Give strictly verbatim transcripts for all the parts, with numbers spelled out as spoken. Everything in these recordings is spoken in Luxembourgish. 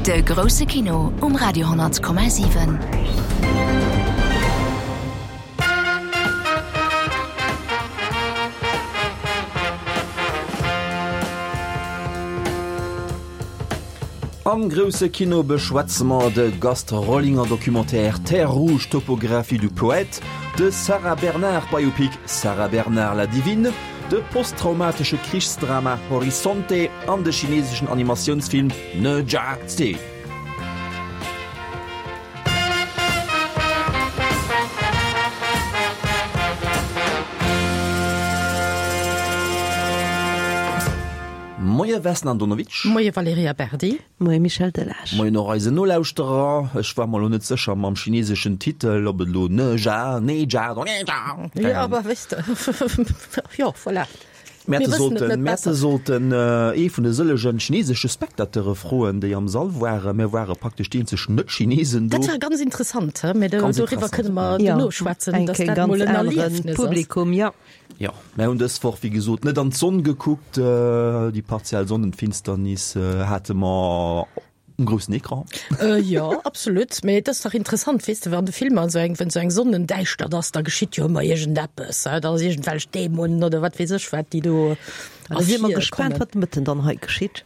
De grousse Kino um Radio honnert Komma siwen. Am grousse Kino beschwätze mer de Gast Rollinger Documentaire Terre rouge, topographie du poète, de Sarah Bernard Biopic Sarah Bernard la divine, de posttraumatesche Krichsdrama Horizonte an de chineseschen Animatiounsfilm Ne Zha Zwee. Moie Vesna Andonovic. Moie Valerija Berdi. Moie Michel Delage. Moien och eisen Nolauschterer. Ech war mer elo net sécher mam chineseschen Titel, ob et elo Ne Zha, Ne Zha oder Ne Zha. Jo, awer weess de, jo, voilà. Mir Mir hätte wëssen et sollten, net mir hätte besser. sollten ee vun de sëllegen chinesesche Spectateure froen, déi am Sall waren. Mir ware praktesch déi eenzeg Net-Chinesen do. Dat war ganz interessant, he? Mee do, Ganz doriwwer interessant, kënne mer Ja, duerno schwätzen, eng dass Kéier dat ganz mol en aneren Erliefnis ass. Publikum, ja. Jo, mär hunn dës Woch, wéi gesot, net an d'Sonn gekuckt. Déi partiell Sonnenfinsternis hate mer um groussen Ecran. Jo, absolut. Mee et ass dach interessant, weess de, wann de Filmer esou eng, wann esou eng Sonnendäischtert ass, da geschitt jo ëmmer iergendeppes, da ass iergendwelch Dämonen oder wat weess ech wat, déi do Da si mer gespaant, ervirkommen. wat de Mëtten dann hei geschitt.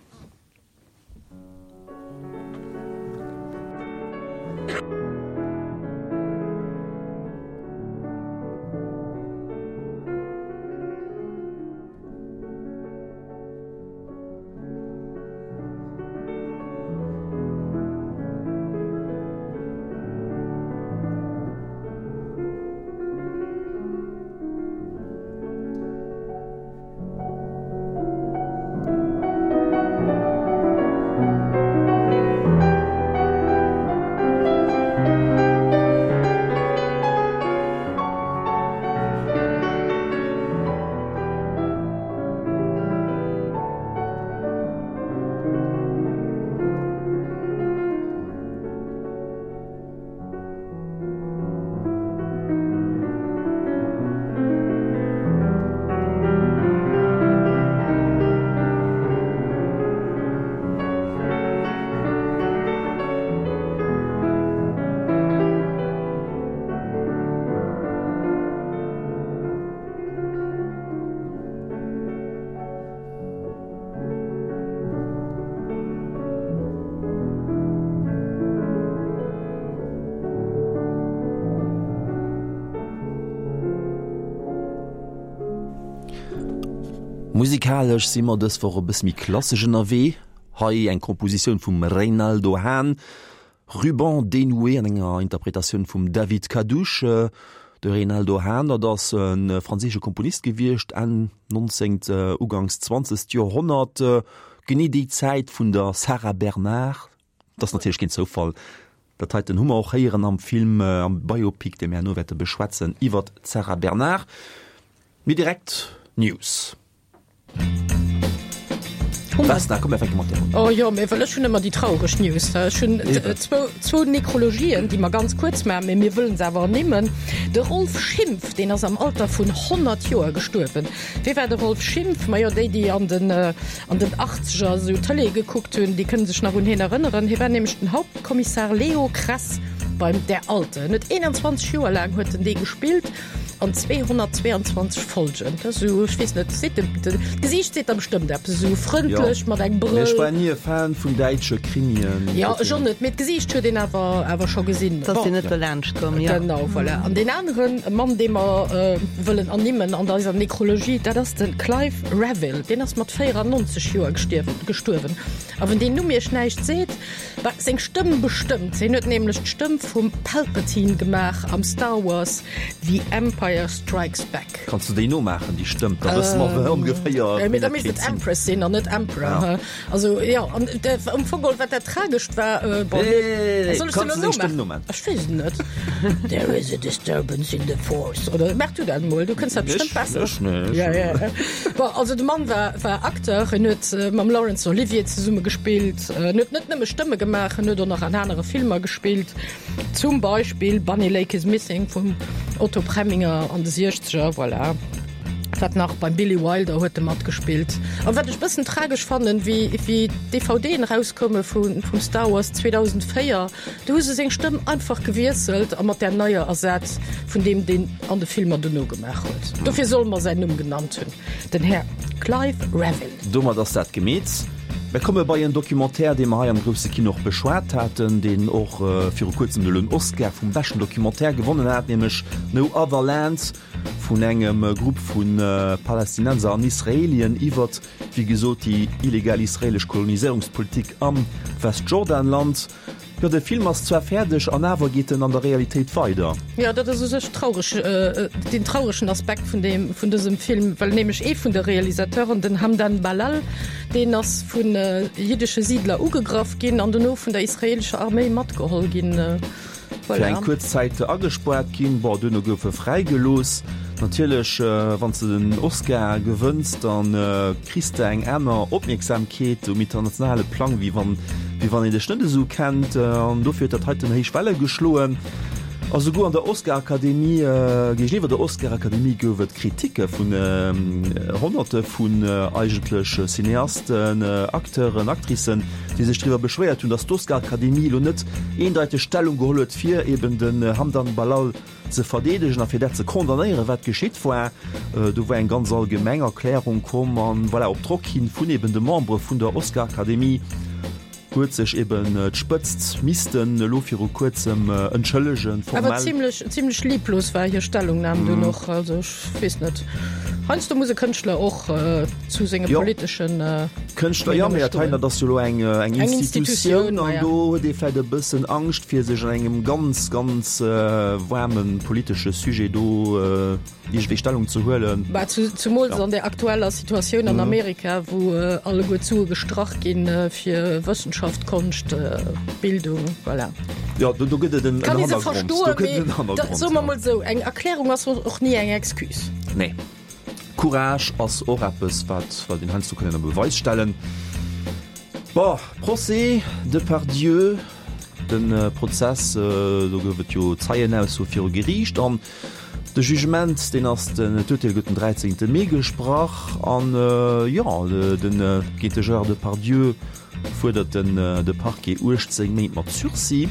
Musikalesch si mer dës Woch e bësse méi klassesch ënnerwee. Hei eng Kompositioun vum Reynaldo Hahn, Ruban dénoué an enger Interpretatioun vum David Kadouch. De Reynaldo Hahn, dat ass e franséische Komponist gewiescht, Enn nonzéngt, uganks zwanzegt Joerhonnert, genee déi Zäit vun der Sarah Bernhardt. Dat ass natierlech keen Zoufall. Dat heiten hu mer och héieren am Film, am Biopic, dee mir herno wäerte beschwätzen, iwwert d'Sarah Bernhardt. Mee direkt News. Vesna, komm mir fänke mat dir un. Oh jo, mee well ech hunn ëmmer déi traureg News. Ech hunn zwou, zwou Nekrologien, déi mer ganz kuerz maachen, mee mir wëllen se awer ernimmen. De Rolf Schimpf, deen ass am Alter vun honnert Joer gestuerwen. Wie war de Rolf Schimpf? Majo, déi, déi an den, an den Achtzeger esou Tëlee gekuckt hunn, déi kënne sech nach un hien erënneren. Hie war nämlech den Hauptkommissar Leo Kress beim Der Alte. En huet eenanzwanzeg Joer laang huet en dee gespillt. An zweehonnertzweeanzwanzeg Folgen. Dat ass esou, ech weess net, seet de, de, d'Gesiicht seet der bestëmmt eppes, esou frëndlech mat engem Mee ech Brëll. war ni e Fan vun däitsche Krimien. Jo, ech och net, mee d'Gesiicht huet een awer, awer scho gesinn. T'ass Bon. dir net dolaanscht komm, jo. Genau, voilà. An deen aneren Mann, dee mer wëllen ernimmen an eiser Nekrologie, dat ass de Clive Revill. Deen ass mat véierannonzeg Joer gestierwen, gestuerwen. A wann deen Numm iech näischt seet, bah, seng Stëmm bestëmmt. Hien huet nämlech d'Stëmm vum Palpatine gemaach am Star Wars The Empire Strikes Back. Kanns du déi nomaachen, déi Stëmm? Da wësse mer wou ongeféier Mee wien da dat misst kéint et sinn. Empress sinn an net Emperor. Ja. Also jo, an am Fong geholl, wat dat Tragescht war, bon, Nee, nee, nee, nee. soll ech se Kanns elo du seng Stëmm nomaachen? nomaachen? Ech weess et net. There is a disturbance in the force. Oder maach du dat emol, du kënns dat bestëmmt Ech? besser. Ech? Nee, ech Ja, ja, ja. Bon, also de Mann war, war Acteur, en huet mam Laurence Olivier zesumme gespillt, en huet net nëmme Stëmme gemaach, en huet och nach an anere Filmer gespillt, zum Beispill Bunny Lake is Missing vum Otto Preminger an de Siechzeger, voilà. Wat nach beim Billy Wilder huet e matgespillt. An wat ech bëssen tragesch fannen, wéi wéi d'DVDen erauskoume vun vum Star Wars zweedausendvéier, do hu se seng Stëmm einfach gewiesselt a mat där neier ersat vun deem deen an de Filmer dono gemaach huet. Dofir solle mer säin Numm genannt hunn, den Här Clive Revill. Domat ass dat gemeet. Mir komme bei en Documentaire, dee mer hei am grousse Kino och beschwat haten, deen och viru kuerzem elo en Oscar vum beschten Documentaire gewonnen hat, nämlech No Other Land vun engem Grupp vu Palästinenser an Israelien iwwert, wéi gesot, déi illegal israelesch Koloniséierungspolitik am Westjordanland. Jo, de Film ass zwar fäerdeg, an awer geet en an der Realitéit weider. Jo, dat ass u sech traureg, deen trauregen Aspekt vun deem, vun dësem Film, well nämlech ee vun de Realisateuren, den Hamdan Ballal, deen ass vu jiddesche Siidler ugegraff ginn an dono vun der israeelescher Arméi matgeholl ginn. Fir eng kuerz Zäit agespaart ginn. Bon, duerno gouf e fräigelooss. Natierlech, wann s de den Oscar gewënns, da kriss de eng aner Opmierksamkeet um internationale Plang, wéi wann, wéi wann een dech net esou kennt. An dofir huet dat heiten héich Welle geschloen. A souguer an der Oscar-Akademie, géigeniwwer der Oscar-Akademie gouf et Kriticke vun Honnerte vun eigentlech Cineasten, Acteuren, Actricen, déi sech driwwer beschwéiert hunn, datt d'Oscar-Akademie elo net eendeiteg Stellung geholl huet, fir eben den Hamdan Ballal ze verdeedegen a fir dat ze condamnéieren, wat geschitt war. Do war eng ganz allgemeng Erklärung komm an, voilà, op Drock hin vun eben de Membere vun der Oscar-Akademie huet sech eben d'Spëtzt missten elo viru kuerzem entschëllegen, formell. Awer zimlech, zimlech lieblos war hir Stellungnam dunn och. Also ech weess net, heiansdo muss e Kënschtler och zu senge politeschen Meenunge stoen. Kënschtler, jo, mee dat hei, dat ass jo elo eng, eng Institutioun an do huet ee vläicht e bëssen Angscht, fir sech an engem ganz, ganz waarme politesche Sujet do iergendwéi Stellung ze huelen. Bah, zumools an der aktueller Situatioun an Amerika, wou alleguer d'Sue gestrach ginn fir Wëssenschaft, Konscht, Bildung, voilà. Jo, do, do gëtt et en Kann ee se Hannergrond. Do verstoen, gëtt et mee en Hannergrond, soe mer ja. mol esou, eng Erklärung ass och ni eng Excuse. Nee. Courage ass och eppes, wat, wat een heiansdo kann ënner Beweis stellen. Bon, Procès Depardieu, de Prozess, do gouf et jo Zeienaussoe viru Geriicht an de Jugement, deen ass den, d'Urteel gëtt den dräizéngte Mee gesprach an, jo, den, géint de Gérard Depardieu fuerdert den de Parquet uechtzéng Méint mat Sursis.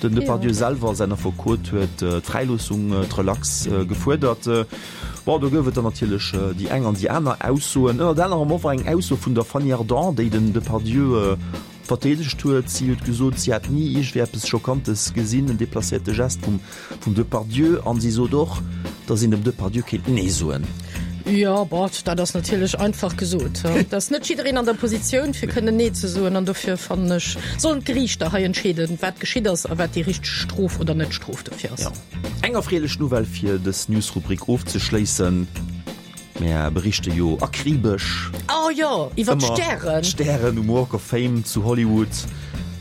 Den Depardieu selwer, säin Affekot, huet d'Fräiloossung, d'Relax gefuerdert. Bon, do gouf et dann natierlech déi eng an déi aner Aussoen. Ënnert anerem och eng Ausso vun der Fanny Ardant, déi den Depardieu verdeedegt huet. Si huet gesot, si hätt ni iergendwéi eppes Schockantes gesinn, en deplacéierte Gest vum vum Depardieu. An si sot och, datt een dem Depardieu kéint Nee soen. Jo, bon, dat ass natierlech einfach gesot. Et ass net jiddereen an der Positioun, fir kënnen Nee ze soen. An dofir fannen ech, sollen d'Geriichter hei entscheeden, wat geschitt ass a wat déi richteg Strof oder Net-Strof dofir ass. Jo. Eng erfreelech Nouvelle fir dës News-Rubrik ofzeschléissen. Mär berichte jo akribesch Oh jo, iwwer ëmmer d'Stären. d'Stären um Walk of Fame zu Hollywood.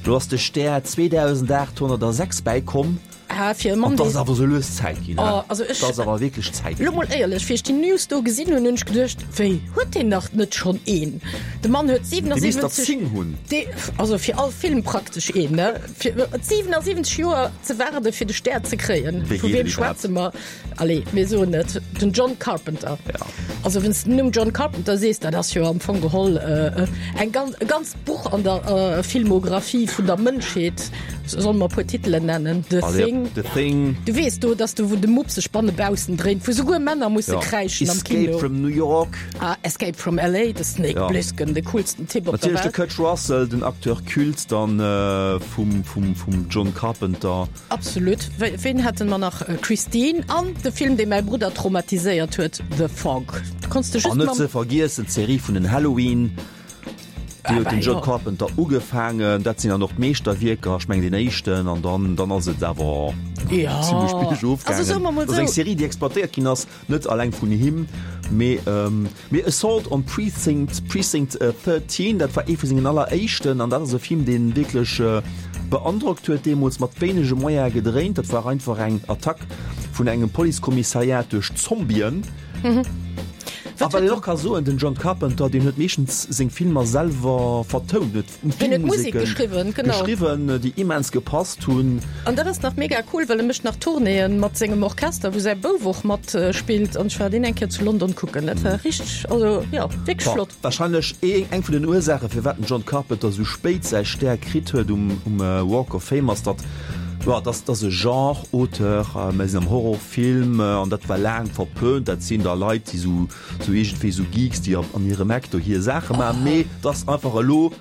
Lo ass de Stär zweedausendaathonnertasechs bäikomm. Ah, fir e Mann, An 't ass dee. awer sou lues Zäit ginn, Oh, he? also ech. 't ass awer wierklech Zäit Lo ginn. mol éierlech, wéi ech déi News do gesinn hunn, hunn ech geduecht, Wéi, huet deen nach net schonn een? De Mann huet Dee misst der siwenasiwwenzeg. zéng hunn. Dee, also fir all Film praktesch een, ne? Fir siwenasiwwenzeg Joer ze waarde fir de Stär ze kréien. Wéi Vu geet weem et iwwerhaapt? schwätze mer? Allez, mir soen et, den John Carpenter. Ja. Also wann s de den Numm John Carpenter sees, dat ass jo am Fong geholl eng ganz, e ganzt Buch an der Filmographie vun der Mënschheet. Solle mer e puer Titelen nennen? The Allez, Thing. The Thing. Du weess do, dass do wou de Mupp sech banne baussen dréint, wou souguer Männer musse Ja. kräischen am Escape Kino. from New York. Ah, Escape from L A. de Snake Ja. Plissken, de coolsten Typ op der Natierlech de Welt. Kurt Russell, den Acteur culte dann vum, vum, vum John Carpenter. Absolut. Ween haten mer nach? Christine an de Film, dee mäi Brudder traumatiséiert huet, The Fog. Do konns de just An net mam. ze vergiessen d'Serie vun den Halloween, déi huet den John Carpenter ugefaangen. Dat sinn dann och d'Meeschterwierker, ech mengen deen éischten, an dann, dann ass et awer zimlech biergof gaangen. Dat ass eng Serie, déi exploitéiert ginn ass, net alleng vun him, mee, mee Assault on Precinct, Precinct thirteen, dat war ee vu sengen alleréischten, an dat ass e Film, dee wierklech beandrockt huet deemools, mat wéinege Moyene gedréint. Dat war einfach eng Attack vun engem Policekommissariat duerch Zombien. A wat een och ka soen, den John Carpenter, deen huet meeschtens seng Filmer selwer vertount, huet Hien huet Musek geschriwwen, genau. Geschriwwen, déi immens gepasst hunn. An dat ass nach mega cool, well e mécht nach Tournéeën mat sengem Orchester, wou säi Bouf och mat spillt. An ech war deen eng Kéier zu London kucken. Dat war richteg, also jo, wierklech flott. Wahrscheinlech eng vun den Ursaache firwat den John Carpenter sou spéit säi Stär kritt huet um Walk of Fame ass, datt, jo, datt ass e Genre-Auteur, mir sinn am Horrorfilm an dat war laang verpönt, dat sinn da Leit déi sou sou iergendwéi sou Geeks déi an hirem Eck do hir Saache maachen, mee datt einfach elo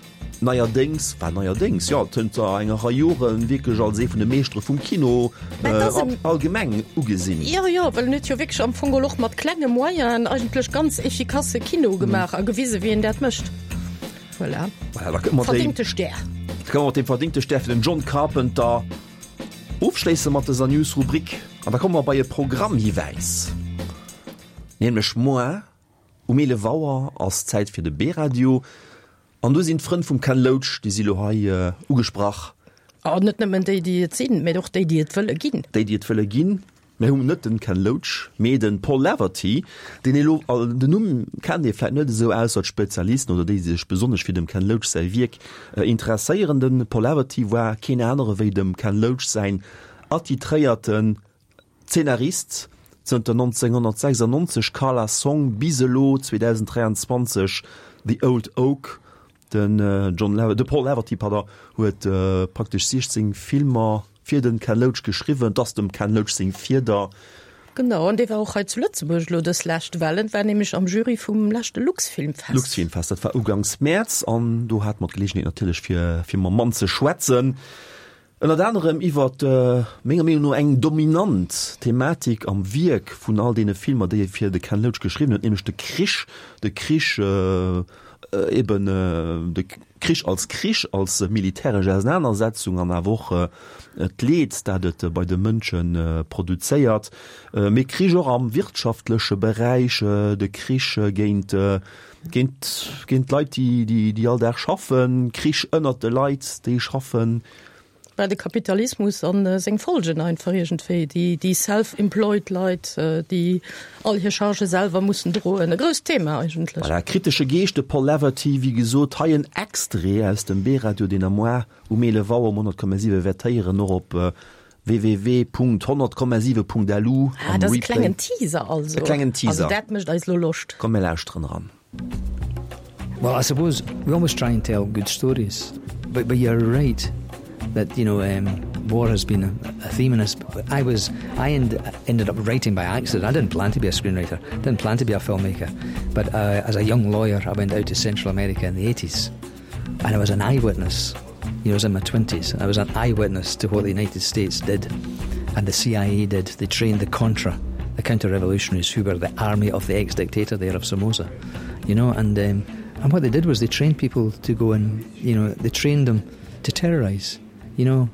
Neierdéngs, well neierdéngs, jo, zënter enger Rei Joren wierklech als ee vun de Meeschtere vum Kino allgemeng ugesinn. Jo, jo, well en huet jo wierklech am Fong geholl och mat klenge Moyenen eigentlech ganz efficace Kino gemaach a gewise wéi een dat mécht. Voilà. Voilà, da kënne mer déi. Verdingte Stär. Da kënne mer mat deem verdingte Stär fir den John Carpenter ofschléisse mat dëser News-Rubrik. An da komme mer bei e Programmhiwäis, nämlech moar um eelef Auer ass Zäit fir de B-Radio. An do sinn d'Frënn vum Ken Loach, déi si lo hei ugesprach. An net nëmmen déi, déi et sinn, mä och déi, déi et wëlle ginn. Déi, déi et wëlle ginn. Mir hunn net den Ken Loach, mee de Paul Laverty, deen ee lo, den Numm kennt ee vläit net esou, ausser d'Spezialisten oder déi, déi sech besonnesch fir dem Ken Loach säi Wierk interesséieren. De Paul Laverty war keen anere wéi dem Ken Loach säin attitréierten Zeenarist, zënter nonzénghonnertsechsannonzeg Karla Song bis elo zweedausenddräianzwanzeg The Old Oak. Den John Laver, de Paul Laverty, pardon, huet praktesch siechzéng Filmer fir den Ken Loach geschriwwen. 't ass dem Ken Loach seng Fieder. Genau, an dee war och hei zu Lëtzebuerg elo dës lescht, well en war nämlech am Jury vum leschte Luxfilmfest. Luxfilmfest, dat war ugangs Mäerz, an do hate mer d'Geleegenheet natierlech fir fir mam Mann ze schwätzen. Ënnert anerem iwwer, menger Meenung no, eng dominant Thematik am Wierk vun all deene Filmer, déi e fir de Ken Loach geschriwwen huet, nämlech de Krich, de Krich eben, de Krich als Krich, als militäresch Ausenanersetzung an awer och d'Leed, dat et bei de Mënsche produzéiert, mee Krich och am wirtschaftleche Beräich, de Krich géint, géint, géint d'Leit, déi, déi all Dag schaffen, Krich ënnert de Leit, déi schaffen. War de Kapitalismus an seng Folgen einfach iergendwéi, déi, déi self-employed Leit, déi all hir Chargë selwer mussen droen. E grousst Thema eigentlech. Voilà, kritesche Geescht, de Paul Laverty, wéi gesot, hei en Extrait aus dem B-Radio, deen der moar um eelef Auer um honnert Komma siwe wäert héieren, och op www Punkt honnert Komma siwe Punkt lu Ah, am dat ass e Replay. klengen Teaser also. E klengen Teaser. Also dat mécht eis lo Loscht. Komm, mir lauschteren eran. Well, I suppose we always try and tell good stories, but, but you're right that you know um, war has been a, a theme in us. I was I end, ended up writing by accident. I didn't plan to be a screenwriter, didn't plan to be a filmmaker, but uh, as a young lawyer, I went out to Central America in the eighties, and I was an eyewitness. You know, I was in my twenties. I was an eyewitness to what the United States did, and the C I A did. They trained the Contra, the counter-revolutionaries who were the army of the ex-dictator there of Somoza, you know, and, um, and what they did was they trained people to go and, you know, they trained them to terrorize. You know,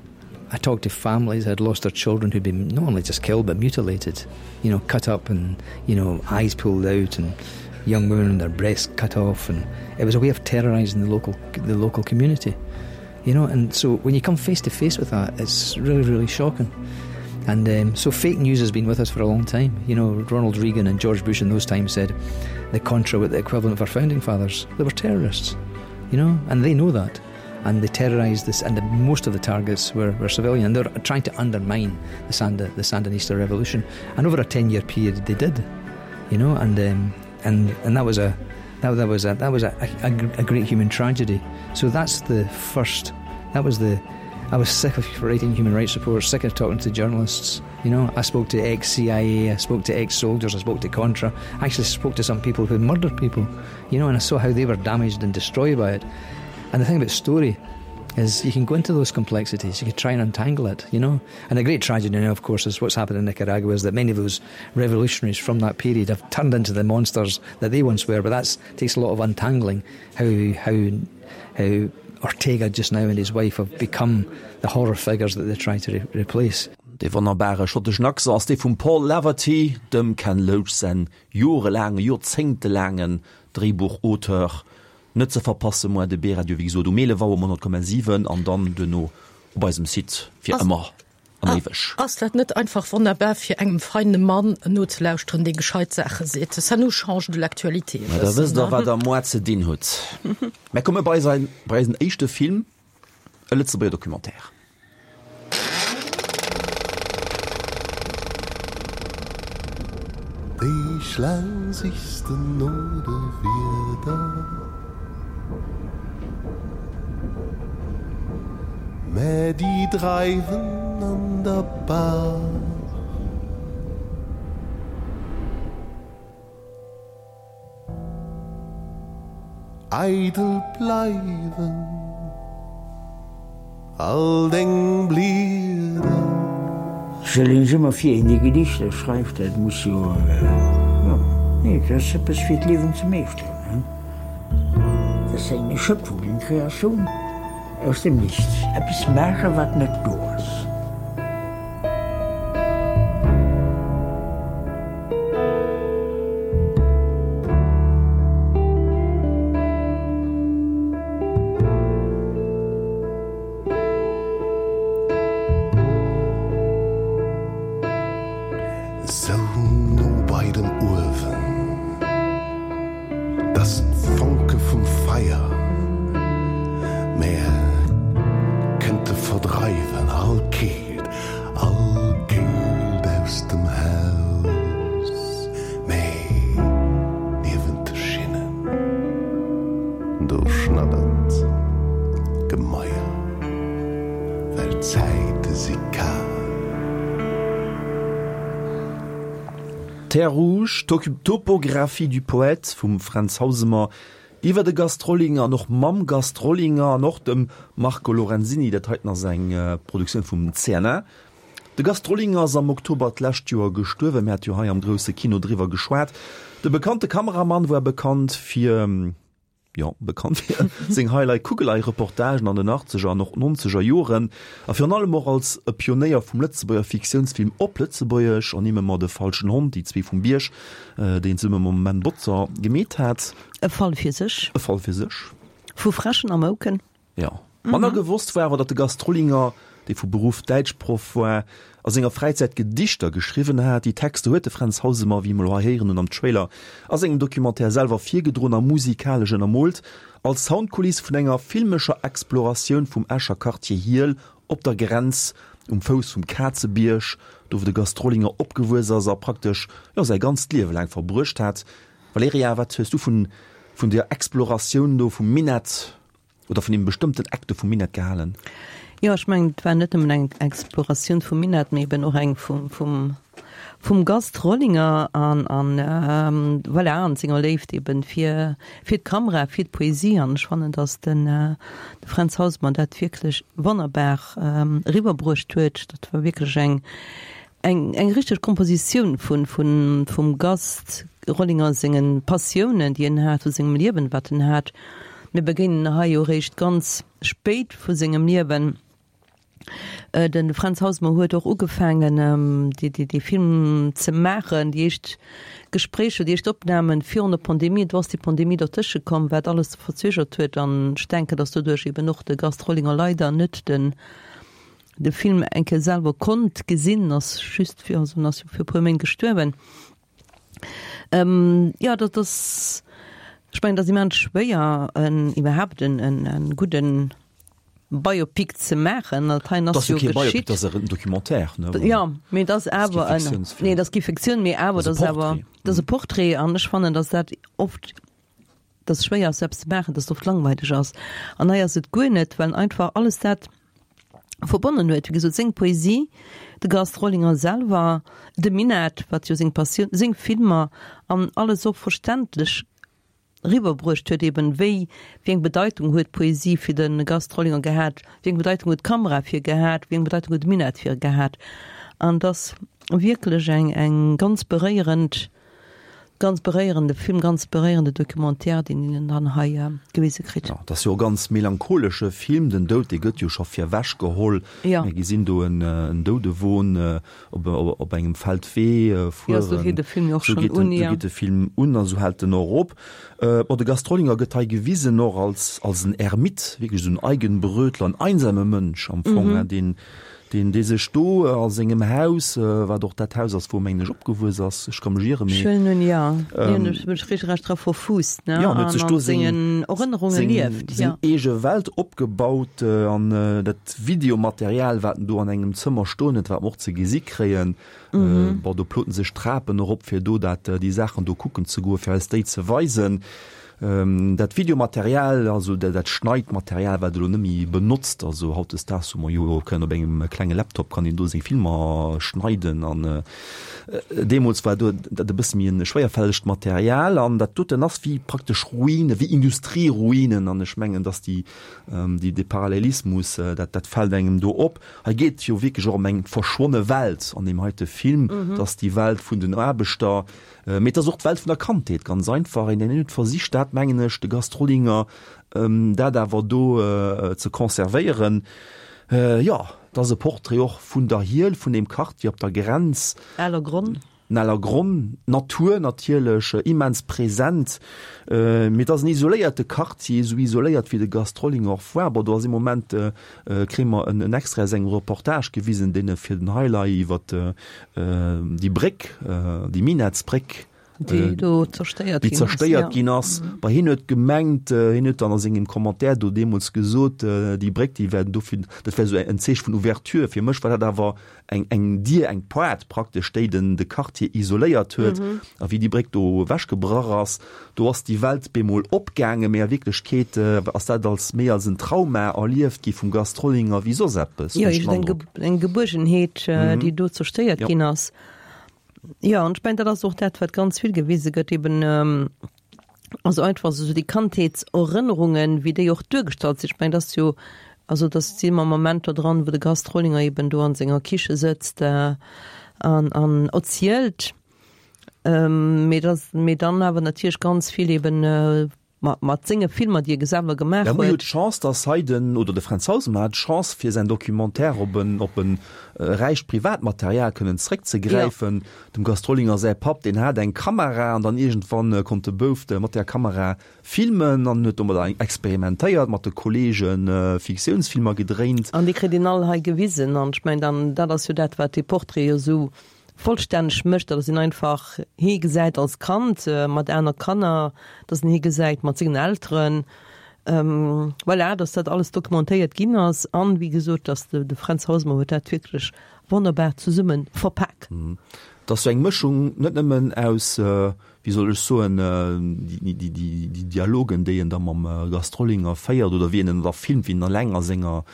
I talked to families that had lost their children who'd been not only just killed but mutilated, you know, cut up and, you know, eyes pulled out and young women and their breasts cut off, and it was a way of terrorizing the local, the local community, you know, and so when you come face to face with that, it's really, really shocking. And, um, so fake news has been with us for a long time. You know, Ronald Reagan and George Bush in those times said the Contra were the equivalent of our founding fathers. They were terrorists, you know, and they know that. And they terrorized this, and the, most of the targets were, were civilian. And they were trying to undermine the, Sand-, the Sandinista revolution. And over a ten-year period, they did, you know, and, um, and, and that was a, that, that was a, that was a, a, a great human tragedy. So that's the first. That was the. I was sick of writing human rights reports, sick of talking to journalists. You know, I spoke to ex-C I A, I spoke to ex-soldiers, I spoke to Contra. I actually spoke to some people who murdered people, you know, and I saw how they were damaged and destroyed by it. And the thing about story is you can go into those complexities, you can try and untangle it, you know. And the great tragedy now, of course, is what's happened in Nicaragua is that many of those revolutionaries from that period have turned into the monsters that they once were, but that takes a lot of untangling, how, how, how Ortega just now and his wife have become the horror figures that they try to re-, replace. Dee wonnerbare schotteschen Accent ass dee vum Paul Laverty, dem Ken Loach säin jorelaangen, joerzéngtelaangen Dréibuchauteur. Net ze verpasse moar de B-Radio, wéi gesot um eelef Auer um honnert Komma siwen an dann duerno op eisem Site fir Ass ëmmer an éiweg. Ass dat net einfach wonnerbar fir engem feine Mann nozelauschteren, dee gescheit Saache seet? Ça nous change de l'actualité e Ma da bëssen, wësst der, ne? wat der moar ze dinn hutt. Mär komme bei säin, bei eisen éischte Film, e Lëtzebuerger Documentaire. Déi Schlaang sichs de no de Wierder, mä déi dreiwen an der Baach. Eidel bleiwen all deng Blieder. Stell een sech ëmmer vir, een dee Gedichter schreift, dat muss jo, jo, nee, dat ass eppes fir d'Liewen ze meeschteren, hein. Dat ass eng Schöpfung, eng Kreatioun aus dem Nichts, eppes maachen, wat net do ass. Sou no bei dem Uewen, dass d'Fonke vum Feier mär kënnte verdreiwen all Keelt, all Keelt aus dem Haus. Mee niewent de Schinnen, do schnaddert d'Gemaier, well d'Zäite si kal. Terres Rouges, Topographie du poète vum Fränz Hausemer iwwer de Gast Rollinger an och mam Gast Rollinger an och dem Marco Lorenzini. Dat heiten ass eng Produktioun vum C N A. De Gast Rollinger ass am Oktober d'lescht Joer gestuerwen. Mir hate jo hei am Grousse Kino driwwer geschwat. De bekannte Kameramann war bekannt fir, jo, bekannt fir seng Highlight-Kugelei-Reportagen an den achtzeger an och nonzeger Joren a virun allem och als e Pionéier vum Lëtzebuerger Fiktiounsfilm op Lëtzebuergesch, ernimme mer De falschen Hond, Déi zwee vum Bierg, deen zesumme mam Menn Botzer gemeet hat. E Fall fir sech. E Fall fir sech. Vu Fräschen a Mouken. Jo. Manner gewosst war awer, datt de Gast Rollinger, dee vu Beruff Däitschproff war, a senger Fräizäit Gedichter geschriwwen hat. Déi Texter huet de Fränz Hausemer, wéi mer elo hei héieren hunn am Trailer, a sengem Documentaire selwer virgedroen a musikalesch ënnermoolt, als Soundkuliss vun enger filmescher Exploratioun vum Escher Quartier Hiehl op der Grenz, um Fouss vum Kazebierg, do wou de Gast Rollinger opgewuess ass a praktesch, jo, säi ganzt Liewe laang verbruecht hat. Valerija, wat hues du vun vun der Exploratioun do vum Minett oder vun deem bestëmmten Eck do vum Minett gehalen? Jo, ech mengen, et war net nëmmen eng Exploratioun vum Minett, mee eben och eng vum, vum, vum Gast Rollinger an, an voilà, an senger Léift eben fir, fir d'Kamera, fir d'Poesie. An ech fannen, datt den, de Fränz Hausemer dat wierklech wonnerbar eriwwerbruecht huet. Dat war wierklech eng, eng, eng richteg Kompositioun vun, vun, vum Gast Rollinger sengen Passiounen, déi en hat, vu sengem Liewen, wat en hat. Mir begéinen hei jo eréischt ganz spéit vu sengem Liewen. De Fränz Hausemer huet och ugefaangen, dee Film ze maachen, déi éischt Gespréicher, déi éischt Opnamen virun der Pandemie. Do ass déi Pandemie dertësche komm, wat alles verzögert huet. An ech denken, datt doduerch eben och de Gast Rollinger leider net den de Film eng Kéier selwer konnt gesinn, ass just fir, also en ass jo fir e puer Méint gestuerwen. Jo, dat ass, ech mengen, dat ass immens schwéier, en iwwerhaapt en en gudden Biopic ze maachen. Dat heien ass jo geschitt. Dat ass en Documentaire, ne? Jo, mee dat ass awer en, nee, dat ass kee Fiktioun, mee awer dat ass awer, dat ass e Portrait. An ech fannen, datt dat oft, datt et schwéier ass, sou eppes ze maachen, datt et oft langweileg ass. An hei ass et guer net, well einfach alles dat verbonnen huet, wéi gesot, seng Poesie, de Gast Rollinger selwer, de Minett, wat jo seng Passioun, seng Filmer an alles och verständlech eriwwerbruecht huet, eben wéi, wéi eng Bedeitung huet d'Poesie fir de Gast Rollinger gehat, wéi eng Bedeitung huet d'Kamera fir gehat, wéi eng Bedeitung huet de Minett fir gehat. An et ass wierklech eng, eng ganz beréierend, ganz beréierende Film, ganz beréierende Documentaire, deen een dann hei gewise kritt. Jo, et ass jo e ganz melancholesche Film. Den Doud, dee gëtt jo scho virwech geholl. Jo. Mir gesinn do en Doudewon op, op engem Feldwee fueren. Jo, esou geet de Film jo och Esou schonn geet den, un, esou jo. geet de Film un a sou hält en och op. Bon, de Gast Rollinger gëtt hei gewisen och als, als en Ermit, wierklech esou en Eigenbrötler, en einsame Mënsch am Fong, deen Deen, dee sech do a sengem Haus, wat och dat Haus ass, wou e mengen ech opgewuess ass, ech ka mech ieren, mee. Schön, nun ja, hien huet sech regelrecht dra verfuusst, ne, Ja, an huet an sech do an seng, sengen Erënnerunge seng, lieft, seng ja. eege Welt opgebaut an dat Videomaterial, wat en do an engem Zëmmer stoen huet, wat mer och ze gesi kréien, bon, do ploten sech Trapen erop, fir do dat, déi Saachen do kucken ze goen, fir eis déi ze weisen. Dat Videomaterial, also dat Schneidmaterial, wat elo net méi benotzt, also hautdesdaags hu mer jo kënnen op engem klenge Laptop kann een do seng Filmer schneiden an deemools war do dat e bësse méi e schwéierfällegt Material an dat doten ass wéi praktesch Ruine, wéi Industrieruinen an ech mengen, datt déi, déi, dee Parallelismus, dat, dat fält engem do op. Hei geet et jo wierklech och ëm eng verschwonne Welt an deem heite Film, dass déi Welt vun den Aarbechter, Mee et ass och d'Welt vun der Kandheet, ganz einfach. Een, deen huet versicht, dat mengen ech, de Gast Rollinger, dat awer do ze conservéieren. Jo, et ass e Portrait och vun der Hiel, vun deem Quartier op der Grenz. Ellergronn. Ellergronn, d'Natur natierlech immens present. Mee et ass en isoléierte Quartier, esou isoléiert wéi de Gast Rollinger och war. Bon, do ass ee Moment, kréie mer en Extrait aus engem Reportage gewisen, deen e fir den Highlight iwwer déi Bréck, déi Minettsbréck, déi do zerstéiert déi zerstéiert ginn ass. Bon, hien huet gemengt, hien huet dann a sengem Commentaire do deemools gesot, déi Bréck, déi wär dofir, dat wär esou en Zeeche vun Ouverture. Fir mech war dat awer eng, eng Dier, eng Poart praktesch, déi den, de Quartier isoléiert huet. A wéi déi Bréck do ewechgebrach ass, do ass déi Welt bemol opgaangen, mee a Wierklechkeet ass dat als méi als en Trauma erlieft gi vum Gast Rollinger wéi soss eppes, Jo, hunn ech den eng, Androck. eng Gebuergenheet, déi do zerstéiert Jo. ginn ass. Jo, an ech mengen, dat ass och dat, wat ganz vill gewise gëtt, eben, also einfach esou déi Kandheetserënnerungen, wéi déi och duergestallt sinn. Ech mengen, dat ass jo, also dat si mer Momenter dran, wou de Gast Rollinger eben do an senger Kiche sëtzt an an erzielt, mee dat, mee dann awer natierlech ganz vill eben mat mat senge Filmer, déi e selwer gemaach Ja, mir hu huet. d'Chance, dass hei den, oder de Fränz Hausemer hat d'Chance, fir säin Documentaire op en, op en räicht Privatmaterial kënnen zréckzegräifen. Dem Gast Rollinger säi Papp, deen hat eng Kamera an dann iergendwann konnt de Bouf mat där Kamera filmen an huet domadder experimentéiert, mat de Kollege Fiktiounsfilmer gedréint. An déi kritt een all hei gewisen. An ech mengen, dann, dat ass jo dat, wat dee Portrait jo esou vollstänneg mécht, datt een einfach hie gesäit als Kand mat aner Kanner, datt een hie gesäit mat sengen Elteren, voilà, datt dat alles dokumentéiert ginn ass. An, wéi gesot, datt de Fränz Hausemer huet dat wierklech wonnerbar zesumme verpak. Et ass sou eng Mëschung net nëmmen aus, wéi soll ech soen, déi Dialogen, déi en da mam Gast Rollinger féiert oder wéi en en da filmt, wéi en eleng a senger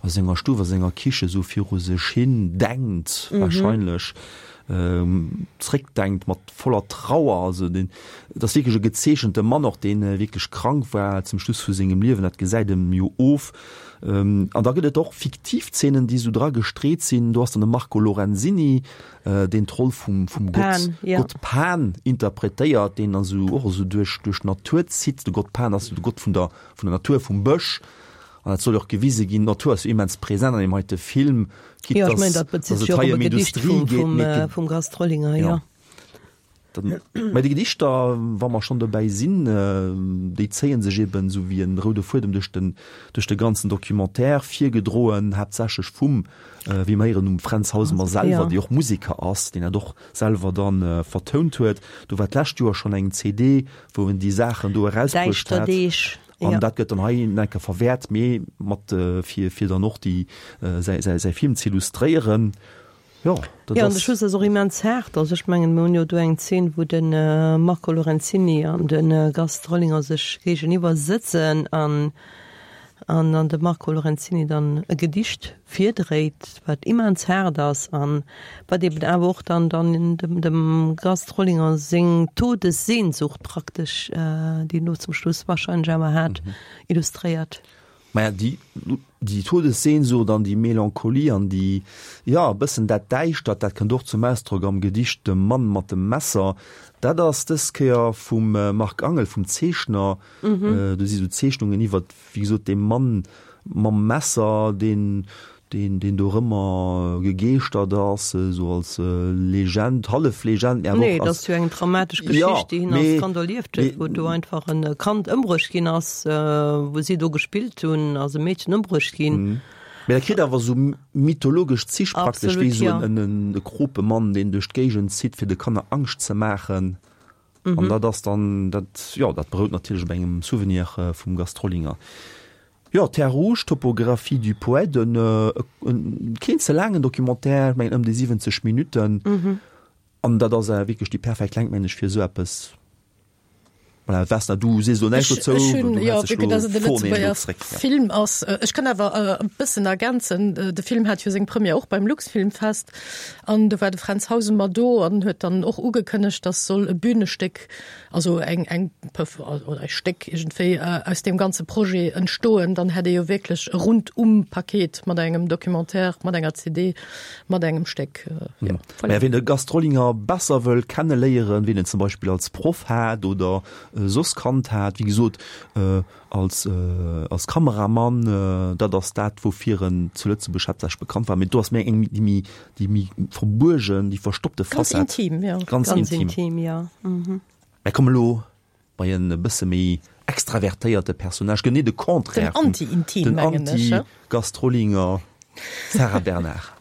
a senger Stuff, a senger Kiche sou viru sech hin denkt, wahrscheinlech zréckdenkt mat voller Trauer. Also deen, et ass wierklech e gezeechente Mann och, deen wierklech krank war zum Schluss vu sengem Liewen, dat gesäit em jo of. An da gëtt et och fiktiv Zeenen, déi sou dra gestreet sinn. Do ass dann de Marco Lorenzini, deen d'Roll vum vum Gott, Pan, ja. Gott Pan interpretéiert, deen dann sou och esou duerch duerch d'Natur zitt. De Gott Pan ass jo de Gott vun der vun der Natur, vum Bësch. An dat soll jo och gewise ginn, d'Natur ass jo immens present an deem heite Film, quitte Jo, ech mengen, dass dat bezitt dass sech et jo och hei op ëm e Gedicht Industrie vum geet, vum mee et vum Gast Rollinger, Ja. jo. Dann, mä déi Gedichter, wa mer schonn dobäi sinn, déi zéie sech eben esou wéi en roude Fuedem duerch den duerch de ganzen Documentaire, virgedroen haaptsächlech vum, wéi mer héieren, um Fränz Hausemer selwer, Ja. dee och Museker ass, deen dat och selwer dann vertount huet. Do war d'lescht Joer schonn eng C D, wou en déi Saachen do erausbruecht Däischter hat. Deeg, An ja. dat gëtt dann hei nach eng Kéier verwäert, mee mat, fir fir dann och déi säi säi säi Film z'illustréieren. Jo, dat Jo, an de ass. Schluss ass och immens haart. Also ech mengen, mir hunn jo do eng Zeen, wou de Marco Lorenzini an de Gast Rollinger sech géigeniwwer sëtzen an an dann de Marco Lorenzini dann e Gedicht virdréit, wat immens haart ass an wat eben awer och dann dann dem dem Gast Rollinger seng Todessehnsucht praktesch, déi en do zum Schluss wahrscheinlech awer hat, illustréiert. Maja, déi, déi Todessehnsucht an déi Melancholie an déi, jo, e bëssen dat Däischtert, dat kënnt och zum Ausdrock am Gedicht De Mann mat dem Messer. Dat ass dës Kéier vum Marc Angel, vum Zeechner. Do si sou Zeechnungen iwwert, wéi gesot, dee Mann mam Messer, deen, deen, deen dorëmmer gegeeschtert ass, esou als Legend, hallef Legend, mee awer Nee, och dat als. ass jo eng dramatesch Ja, Geschicht, déi hien als mee, Kand erlieft huet, mee. wou do einfach en Kand ëmbruecht ginn ass, wou si do gespillt hunn, ass e Meedchen ëmbruecht ginn. Mee dat kritt awer esou mythologesch Zich praktesch, wéi esou en, en, e Kropemann, deen duerch d'Géigend zitt, fir de Kanner Angscht ze maachen. Mhm. An dat ass dann, dat, jo, dat berout natierlech op engem Souvenir vum Gast Rollinger. Jo, Terre Rouge, Topographie du poète, en, en keen ze laangen Documentaire, ech mengen ëm déi siwwenzeg Minutten. Mhm. An dat ass wierklech déi perfekt Längt, mengen ech, fir esou eppes. Voilà, Vesna, du sees elo näischt dozou, Ech hunn, jo, vue que dass et e Lëtzebuerger Film ass. Ech kann awer e bëssen ergänzen, De Film hat jo seng Première och beim Luxfilmfest an do war de Fränz Hausemer do an huet dann och ugekënnegt, dass soll e Bühnestéck, also eng, eng, oder e Stéck iergendwéi aus deem ganze Projet entstoen. Dann hätt ee jo wierklech e Rundum-Paket mat engem Documentaire, mat enger C D, mat engem Stéck. Jo, voilà. Mä wien de Gast Rollinger besser wëll kenneléieren, wien en zum Beispill als Proff hat oder soss kannt hat, wéi gesot, als, als Kameramann, dat ass dat, woufir en zu Lëtzebuerg haaptsächlech bekannt war. Mee do ass méi eng, déi méi, déi méi verbuergen, déi verstoppte Facette. Ganz intim, jo. Ganz intim. Ganz intim, jo. Mä komm elo bei en e bësse méi extravertéierte Personnage, genee de Contraire vum, Den Anti-Intim, mengen ech, den Anti-Gast Rollinger, Sarah Bernard.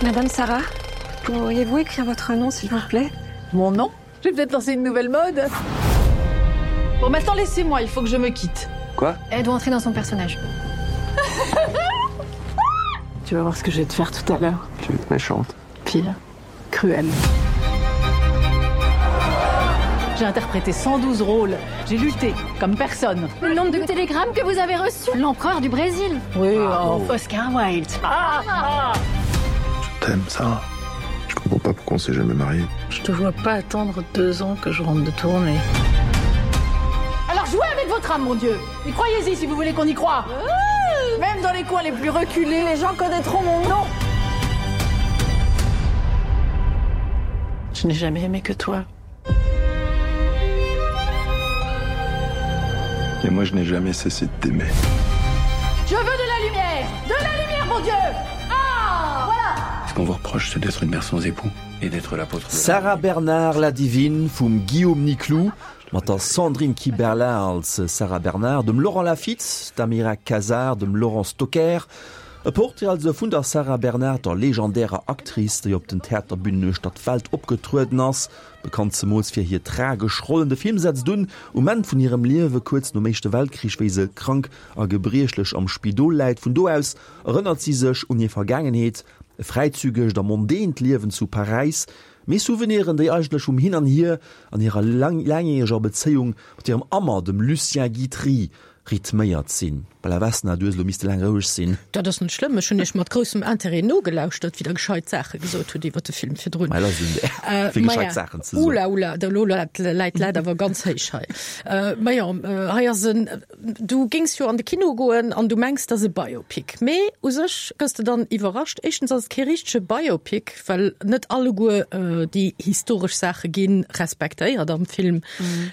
Madame Sarah, pourriez-vous écrire votre nom, s'il vous plaît? Mon nom? J'ai peut-être lancé une nouvelle mode. Bon, maintenant laissez-moi, il faut que je me quitte. Quoi? Elle doit entrer dans son personnage. Tu vas voir ce que je vais te faire tout à l'heure. Tu veux être méchante. Pire, cruel. J'ai interprété cent douze rôles. J'ai lutté comme personne. Le nombre de télégrammes que vous avez reçus. L'empereur du Brésil. Oui, oh, Oscar Wilde. Ah, ah. Je t'aime, Sarah. Je comprends pas pourquoi on s'est jamais marié. Je te vois pas attendre deux ans que je rentre de tournée. Alors jouez avec votre âme, mon Dieu. Et croyez-y si vous voulez qu'on y croie. Ouh. Même dans les coins les plus reculés, les gens connaîtront mon nom. Je n'ai jamais aimé que toi. Et moi, je n'ai jamais cessé de t'aimer. Je veux de la lumière! De la lumière, mon Dieu! Ah! Voilà! Ce qu'on vous reproche, c'est d'être une mère sans époux et d'être l'apôtre de Sarah Bernard, la divine vum Guillaume Nicloux, mat der Sandrine Kiberlain als Sarah Bernard, dem Laurent Lafitte, der Amira Casar, dem Laurent Stocker. E Portrait also vun der Sarah Bernard, der legendärer Actrice, déi op den Theaterbünen uechter d'Welt opgetrueden ass, bekannt zemools fir hir tragesch Rollen. De Film setzt un um Enn vun hirem Liewe, kuerz nom Éischte Weltkrich, wéi se krank a gebriechlech am Spidol läit. Vun do aus erënnert si sech un hir Vergaangenheet, e fräizügegt a mondänt Liewen zu Paräis, mee Souveniren, déi eigentlech vum Hin an Hier an hirer laangjäreger Bezéiung mat hirem Ammer, dem Lucien Guitry, rhythméiert sinn. Bella Vesna, du hues elo misste laang roueg sinn. Dat ass net schlëmm, ech hunn iech mat groussem Interêt nogelauschtert, wéi der gescheit Saache gesot hutt iwwer de Film virdrun. Mei, dat ass un där, fir gescheit Saachen ze soen. Oula, oula, da elo läit d'Lat awer ganz héich hei. Majo, hei ass en, du géings jo an de Kino goen an du mengs, dat ass e Biopic. Mee u sech gëss de dann iwwerrascht. Éischtens ass et kee richtege Biopic, well net alleguer déi historesch Saache gi respektéiert am Film.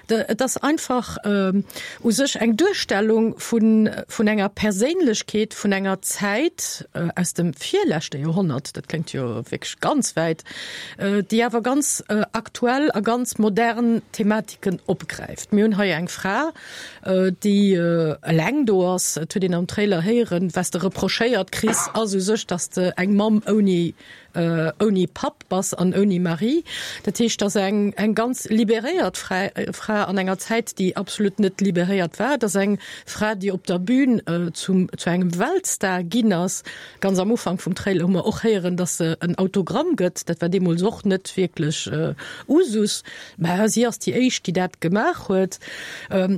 Et ass einfach u sech eng Duerstellung vun vun enger Perséinlechkeet vun enger Zäit aus dem virleschte Joerhonnert, dat kléngt jo wierklech ganz wäit, déi awer ganz aktuell a ganz modern Thematiken opgräift. Mir hunn hei eng Fra, déi eleng do ass, et huet een am Trailer héieren, wat s de reprochéiert kriss, ass u sech, datt s de eng Mamm ouni ouni Papp bass an ouni Mari. Dat heescht, dass eng eng ganz liberéiert Fra an enger Zäit, déi absolut net liberéiert war, dass eng Fra, déi op der Bühn zum zu engem Weltstar ginn ass. Ganz am Ufank vum Trailer hu mer och héieren, dass se en Autogramm gëtt. Dat war deemools och net wierklech Usus, mä si ass déi éischt, déi dat gemaach huet.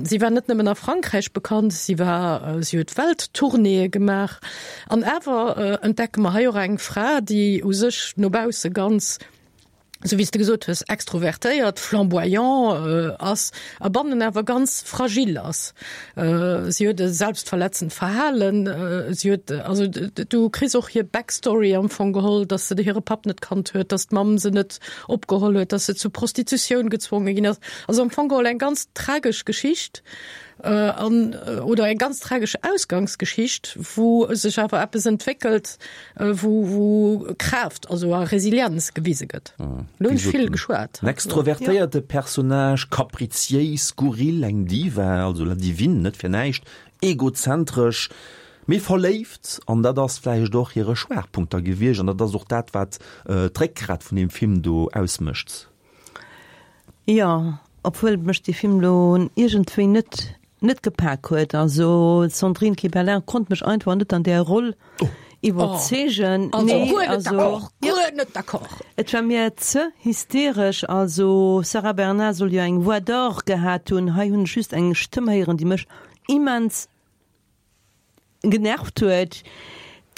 Si war net nëmmen a Frankräich bekannt, si war si huet Welttournéeë gemaach. An awer entdecke mer hei och eng Fra, déi u sech no bausse ganz, esou wéi s de gesot hues, extrovertéiert, flamboyant ass a bannen awer ganz fragil ass. Si huet e selbstverletzend Verhalen, si huet, also du kriss och hir Backstory am Fong geholl, datt se hire Papp net kannt huet, datt d'Mamm se net opgeholl huet, datt se zur Prostitutioun gezwonge ginn ass. Also am Fong geholl eng ganz tragesch Geschicht. An, oder eng ganz tragesch Ausgangsgeschicht, wou sech awer eppes entwéckelt, wou, wou Kraaft, also a Resilienz gewise gëtt. Elo hunn ech vill geschwat. En extrovertéierte Personnage, kapriziéis, skurril, eng Diva, also la divine, net fir näischt, egozentresch, mee verléift, an dat ass vläicht och hire Schwaachpunkt da gewiescht an dat ass och dat, wat d'Réckgrat vun deem Film do ausmécht. Jo, obwuel mech dee Film lo iergendwéi net net gepak huet. Also d'Sandrine Kiberlain konnt mech einfach net an där Roll iwwerzeegen. Oh, also Nee, guer net also d'accord, jo. guer net d'accord. Et war mir ze hysteresch. Also Sarah Bernard soll jo eng Voix d'or gehat hunn. Hei hunn ech just eng Stëmm héieren, déi mech immens genervt huet,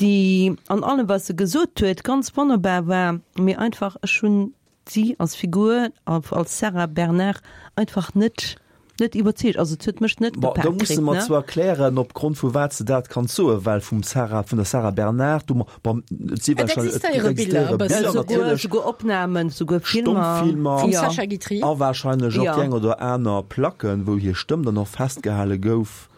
déi an allem wat se gesot huet ganz wonnerbar war, mee einfach ech hunn si als Figur, als Sarah Bernard einfach net net iwwerzeegt. Also et huet mech net Bon, do gepaakt musse kritt, mer ne? zwar klären, opgrond vu wat s de dat kanns soen, well vum Sarah, vun der Sarah Bernard, do, bon, et si Et wahrscheinlech, et existéiere Biller existéiere e bëssen. Biller Souguer, natierlech, souguer Opnamen, souguer Filmer. Stommfilmer Vum Jo. Sacha Guitry. a wahrscheinlech och Jo. déi eng oder aner Placken, wou hir Stëmm dann och festgehale gouf.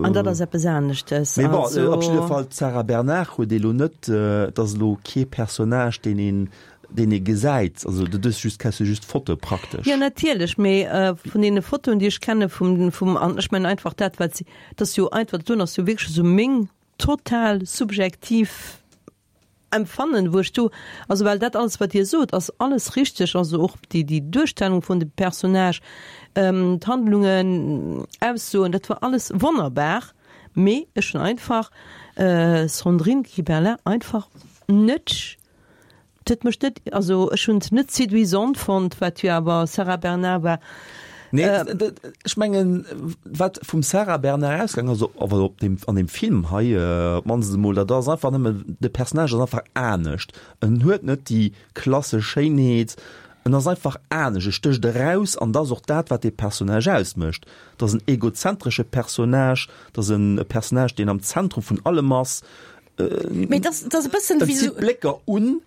An dat ass eppes aneschtes. Mee bon, Also. op jidde Fall, d'Sarah Bernard huet elo net, et ass elo kee Personnage, deen een, deen ee gesäit. Also dat ass just, kenns du just d'Foto praktesch. Jo, natierlech, mee vun deene Fotoen, déi ech kenne vum, vum, an ech mengen einfach dat, wat si, dat ass jo einfach, dat doen ass jo wierklech esou meng total subjektiv Empfannen, wou ech do, also well dat alles, wat Dir sot, ass alles richteg, also och déi, déi Duerstellung vun dem Personnage, d'Handlungen, Aussoen, dat war alles wonnerbar, mee ech hunn einfach Sandrine Kiberlain einfach net, et huet mech net, also ech hunn se net séduisant fonnt, wat jo awer Sarah Bernard war. Nee, ech mengen, wat vum Sarah Bernard ausgaang ass, awer op deem, an deem Film hei op d'mannst emol, dat ass einfach nëmme, de Personnage ass einfach anescht. En huet net déi klassesch Schéinheet, en ass einfach anescht, e stécht eraus an dat ass och dat, wat dee Personnage ausmécht. Dat ass en egozentresche Personnage, dat ass en Personnage, deen am Zentrum vun allem ass. Mee dat ass e bëssen En wéi zitt esou. Blécker un.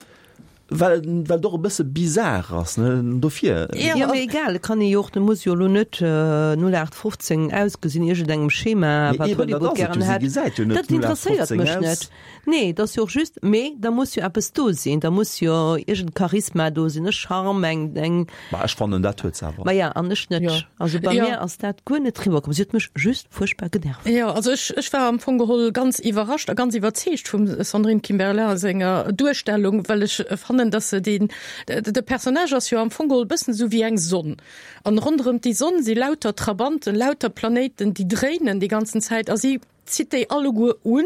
Well well et och e bësse bizar ass, ne, dofir. Jo, mee egal, et kann ee jo och, et muss jo elo net null aacht fofzéng ausgesinn, iergendengem Schema, Mee wat eben, dat Hollywood ass et jo, gären si hätt. gesäit jo net Dat null aacht interesséiert fofzéng mech aus. net. Nee, dat ass jo och just, mee da muss jo eppes do sinn, da muss jo iergend Charisma do sinn, e Charme, eng, eng. Ma ech fannen, dat huet se awer. Maja, an ech net. Jo. Also bei Jo. mir ass dat guer net riwwer komm. Si huet mech just fuerchtbar genervt. Jo, also ech, ech war am Fong geholl ganz iwwerrascht a ganz iwwerzeegt vum Sandrine Kiberlain senger Duerstellung, well ech fannen, dass se den, de Personnage ass jo am Fong geholl bëssen esou wéi eng Sonn. An ronderëm déi Sonn si lauter Trabanten, lauter Planéiten, déi dréinen déi ganzen Zäit a si zitt déi alleguer un,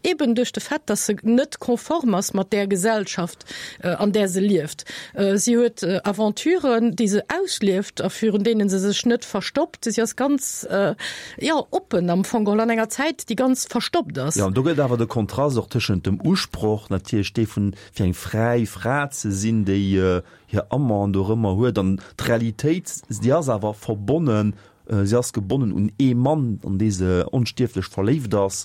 eben duerch de Fait, dass se net konform ass mat där Gesellschaft, an där se lieft. Si huet Aventuren, déi se auslieft a virun deenen se sech net verstoppt. Si ass ganz, jo, oppen am Fong geholl an enger Zäit, déi ganz verstoppt ass. Jo, an do gëtt awer de Kontrast och tëschent dem Usproch natierlech, dee vun fir eng fräi Fra ze sinn, déi hir Amant dorëmmer huet, an d'Realitéit, déi ass awer verbonnen, si ass gebonnen un ee Mann, an dee se onstierflech verléift ass,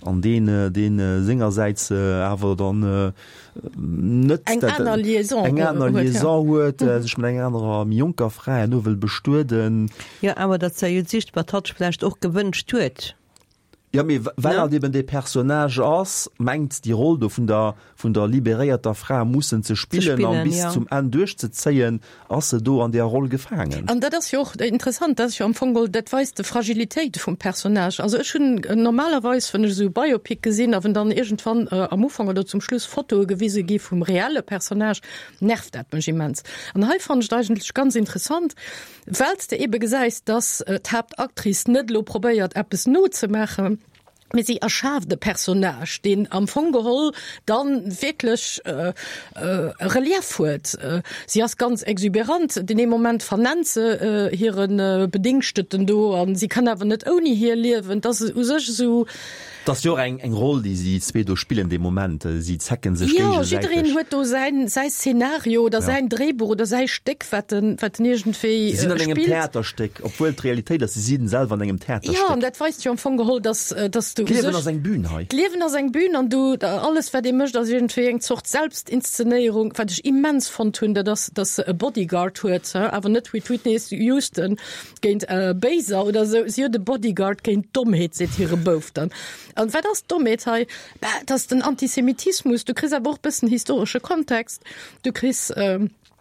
an deen, deen sengersäits awer dann net Eng aner Liaison eng aner huet, ja. Liaison huet, sech mat enger anerer, méi jonker Fra herno wëll bestueden. Jo, awer dat ass jo just, wat hatt sech vläicht och gewënscht huet. Jo, mee well Ne? hatt eben dee Personnage ass, mengt déi Roll do vun der, vun der liberéierter Fra mussen ze Ze spillen an spillen, bis ja. zum Enn duerchzezéien, ass se do an där Roll gefaangen. An dat ass jo och interessant, dat ass jo am Fong geholl, dat weist de Fragilitéit vum Personnage. Also ech hunn normalerweis, wann ech esou Biopic gesinn a wann dann iergendwann am Ufank oder zum Schluss Fotoe gewise gi vum reelle Personnage, nervt dat mech immens. An hei fannen ech et eigentlech ganz interessant, well s de ebe gesäis, dass d'Haaptactrice net elo probéiert eppes nozemaachen, mee si erschaaft e Personnage, deen am Fong geholl dann wierklech e Relief huet. Si ass ganz exuberant, deen ee Moment vernennt se hire Bedingsteten do an si kann awer net ouni hie liewen. Et ass u sech esou. Et ass jo och eng eng Roll, déi si zwee do spillen dee Moment. Si zecken sech Jo, géigesäiteg. jiddereen huet do säin säi Szenario oder Ja. säin Dréibuch oder säi Stéck, wat en wat en iergendwéi Si sinn an engem spillt. Theaterstéck, obwuel d'Realitéit ass, si sinn selwer an engem Jo, Theaterstéck. an dat weist jo am Fong geholl, dass dass du u D'Liewen sech ass eng Bühn hei. D'Liewen ass eng Bühn an du alles wat ee mécht ass iergendwéi eng Zort Selbstinszenéierung. Wat ech immens fonnt hunn, dat ass, dass se e Bodyguard huet, awer net wéi d'Whitney Houston géint Béiser oder esou. Si huet e Bodyguard géint d'Dommheet, seet hire Bouf dann. An wat ass d'Dommheet hei? Bah, et ass den Antisemitismus. Du kriss awer och e bëssen historesche Kontext. Du kriss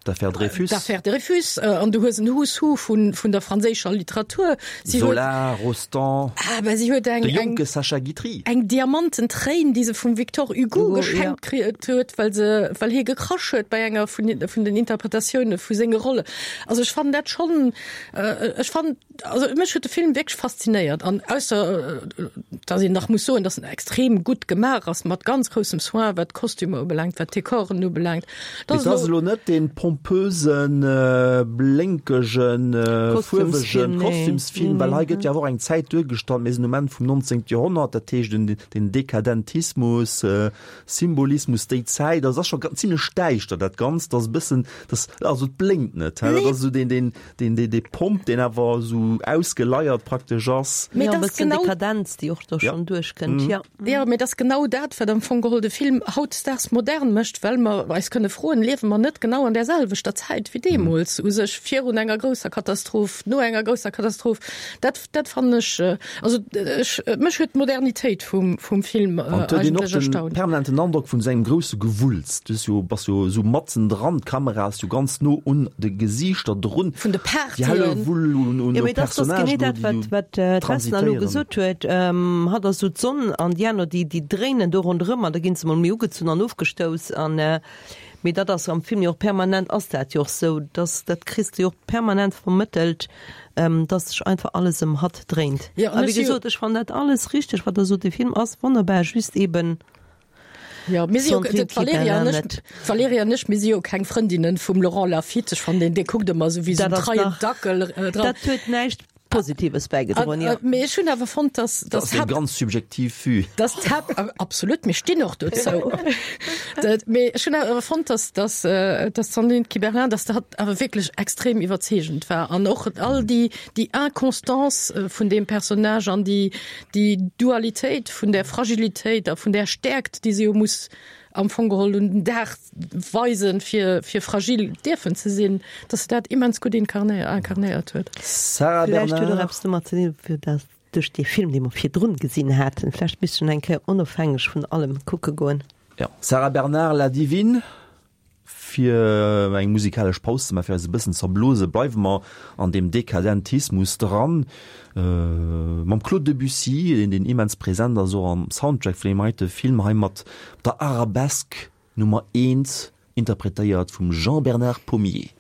D'Affaire Dreyfus. D'Affaire Dreyfus, an du hues en Who's Who vun, vun der franséischer Literatur. Si huet, Zola, Rostand, ah, bah, si huet eng, de jonke eng, Sacha Guitry. eng Diamantentréin, déi se vum Victor Hugo Hugo, geschenkt kritt huet, well se, well hie gekrasch huet bei enger vun, vun den Interpretatioune vu senge Rolle. Also ech fannen dat schonn, ech fannen, also mech huet de Film wierklech faszinéiert an ausser, dass een nach muss soen, dass en extrem gutt gemaach ass, mat ganz groussem Soin, wat d'Kostümer ubelaangt, wat d'Dekoren ubelaangt. Mee et ass elo net dee pompösen, blénkegen, fuerwegen Kostümsfilm, well hei gëtt jo awer och eng Zäit duergestallt, mir sinn um Enn vum nonzéngte Joerhonnert, dat heescht den Dekadentismus, Symbolismus, déi Zäit, also et ass scho zimlech däischter dat Ganzt, ass e bëssen, dat also et blénkt net, dat ass esou deen, deen, deen, dee Pomp, deen awer esou ausgeleiert praktesch ass. Mee Jo, e dat ass bëssen genau. Dekadenz, déi och do schonn duerchkënnt, jo. Jo, mee dat ass genau dat, wat am Fong geholl de Film hautdesdaags modern mécht, well mer eis kënne froen, Liewe mer net genau an där selwechter Zäit wéi deemools, u sech virun enger grousser Katastroph, no enger grousser Katastroph? Dat, dat fannen ech, also ech, mech huet d'Modernitéit vum, vum Film An et huet een och eigentlech den erstaunt. permanenten Androck vun esou engem grousse Gewulls. Du hues jo, bass jo esou matzen dran, d'Kamera ass jo ganz no un de Gesiichter drun. Vun de Déi Partyen. Hellewull un, un Jo, mee dat ass Personnagen genee do, dat, déi wat, do wat d'Vesna elo transitéieren. gesot huet. Hatt ass esou d'Sonn an déi aner, déi, déi dréinen do ronderëm an da ginn se mol méi ugezunn an ofgestouss. An, mee dat ass am Film jo och permanent, ass dat jo och esou, dass, dat kriss de jo och permanent vermëttelt, dass sech einfach alles ëm hatt dréint. Jo, A an wéi ech si jo. gesot, ech fannen dat alles richteg, wat Der sot, de Film ass wonnerbar, just eben, Jo, mir si jo, Sandrine d'Valerija an Kittler ech, net. d'Valerija an ech, mir si jo keng Frëndinnen vum Laurent Lafitte. Ech fannen deen, dee kuckt ëmmer esou wéi esou Dat en ass treien nach, Dackel dran. dat huet näischt Positives bäigedroen, jo. Mee ech hunn awer fonnt, dass, Dat dass ass eng d'Haupt, ganz subjektiv Vue. dass d'Haupt, absolut, mir stinn och dozou. Dat, mee ech hunn awer fonnt, dass, dass, dass d'Sandrine Kiberlain, dass dat awer wierklech extrem iwwerzeegend war an och all déi, déi Inconstance vun deem Personnage an déi, déi Dualitéit vun där Fragilitéit a vun där Stäerkt, déi se jo muss am Fong geholl un den Dag weisen, fir, fir fragil dierfen ze sinn, dass se dat immens gutt inkarnéiert huet. Sarah Vläicht huet och Bernard. eppes domat ze dinn, fir dass duerch dee Film, dee mer virdrun gesinn haten, vläicht misst een eng Kéier onofhängeg vun allem kucke goen. Ja. Sarah Bernard, La Divine. Fir eng musikalesch Paus ze maachen, fir eis e bëssen z'erblose, bleiwe mer an deem Dekadentismus dran, mam Claude Debussy, deen deen immens present ass och am Soundtrack vun deem heite Film hei mat der Arabesque Nummer eent, interpretéiert vum Jean-Bernard Pommier.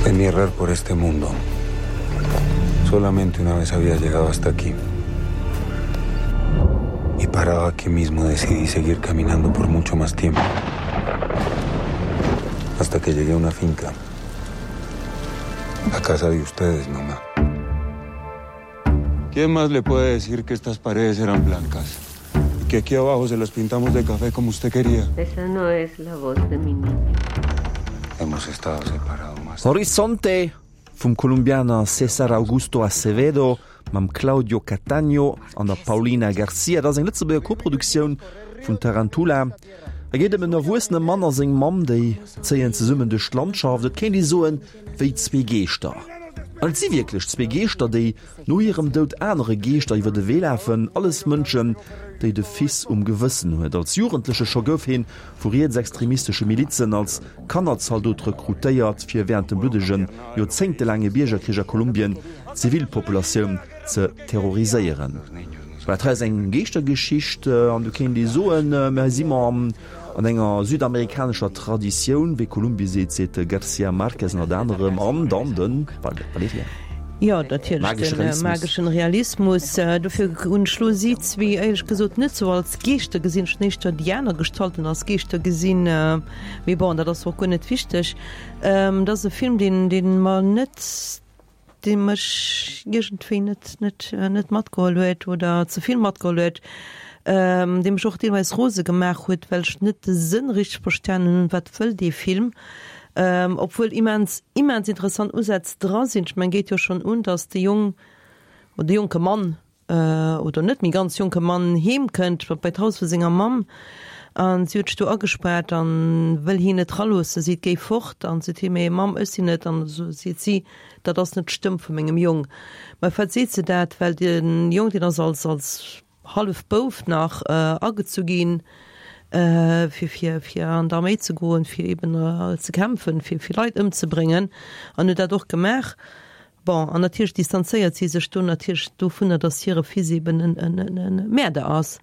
En mi errar por este mundo, solamente una vez había llegado hasta aquí. Y parado aquí mismo decidí seguir caminando por mucho más tiempo. Hasta que llegué a una finca. A casa de ustedes, mamá. ¿Quién más le puede decir que estas paredes eran blancas? Y que aquí abajo se las pintamos de café como usted quería. Esa no es la voz de mi niño. Hemos estado separados más. Horizonte vum Kolumbianer César Augusto Acevedo mam Claudio Cataño an der Paulina García. Dat ass eng Lëtzebuerger Koproduktioun vun Tarantula. Et geet ëm en erwuessene Mann a seng Mamm, déi zéien zesummen duerch d'Landschaft, et kéint ee soen, wéi zwee Geeschter. An et si wierklech zwee Geeschter, déi no hirem Doud anere Geeschter iwwer de Wee lafen, alles Mënschen, déi de Fils um Gewëssen huet. Als Jugendleche scho gouf hien vu rietsextremistesche Milizen als Kannerzaldot rekrutéiert, fir wärend dem bluddegen, joerzéngtelaange Biergerkrich a Kolumbien d'Zivilpopulatioun ze terroriséieren. Dat hei ass eng Geeschtergeschicht an do kéint ee soen, mir hei si mer an enger südamerikanescher Traditioun, wéi Kolumbie seet, seet de García Márquez ënnert anerem an dann de Valéria. Jo, natierlech, de mageschen Realismus. Dofir hunn ech lo si zwee éierlech gesot net sou als Geeschter gesinn. Ech hunn éischter déi aner Gestalten als Geeschter gesinn. Mee bon, dat ass och guer net wichteg. Et ass e Film, deen, deen mer net, dee mech iergendwéi net, net, net matgeholl huet oder ze vill matgeholl huet, dee mech och deelweis rose gemaach huet, well ech net de Sënn richteg verstanen hunn, wat wëll dee Film. Obwuel immens, immens interessant Usätz dra sinn. Ech mengen, geet jo schonn un, datt de Jong oder de jonke Mann oder net méi ganz jonke Mann heem kënnt bei d'Haus vu senger Mamm an si huet sech do agespaart an wëll hien net raloossen. Seet, géi fort an seet hie, mee Mamm, ech sinn et. An esou seet si, dat ass net d'Stëmm vu mengem Jong. Mä firwat seet se dat? Well de Jong, deen ass als, als hallef Bouf nach agezu ginn, fir, fir, fir an d'Arméi ze goen, fir eben ze kämpfen, fir, fir Leit ëmzebréngen, an huet dat och gemaach. Bon, an natierlech distanzéiert si sech do natierlech dovunner, datt hire Fils eben en, en, en, en Mäerder ass.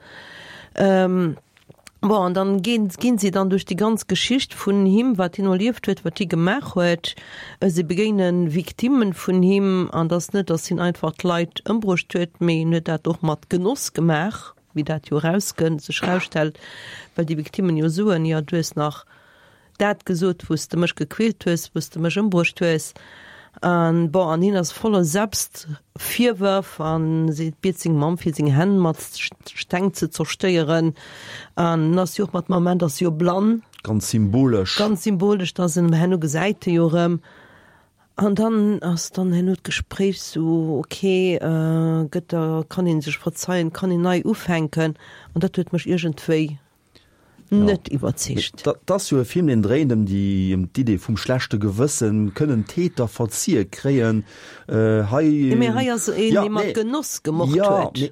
Bon, an dann ginn, ginn si dann duerch déi ganz Geschicht vun him, wat hien erlieft huet, wat hie gemaach huet. Si begéine Victimme vun him, an et ass net, datt hien einfach d'Leit ëmbruecht huet, mee hien huet dat och mat Genoss gemaach, wéi dat jo erauskënnt, sech erausstellt, well déi Victimmen jo soen, jo, du hues nach dat gesot, wou s de mech gequält hues, wou s de mech ëmbruecht hues. An bon, an hien ass voller Selbstvirwërf an seet, biet seng Mamm fir seng Hänn mat Steng ze zerstéieren. An en ass jo och mat Moment ass jo blann. Ganz symbolesch. Ganz symbolesch, dass en herno gesäit e jo erëm. An dann ass dann herno d'Gespréich sou, ok, gëtt der, kann een sech verzeien, kann een nei ufänken? An dat huet mech iergendwéi net iwwerzeegt. Dat ass jo e Film, deen dréint ëm déi, ëm d'Idee vum schlechte Gewëssen, kënnen Täter verzie kréien. Hei. Jo, mee hei ass een, dee mat Genoss gemort huet. Jo, mee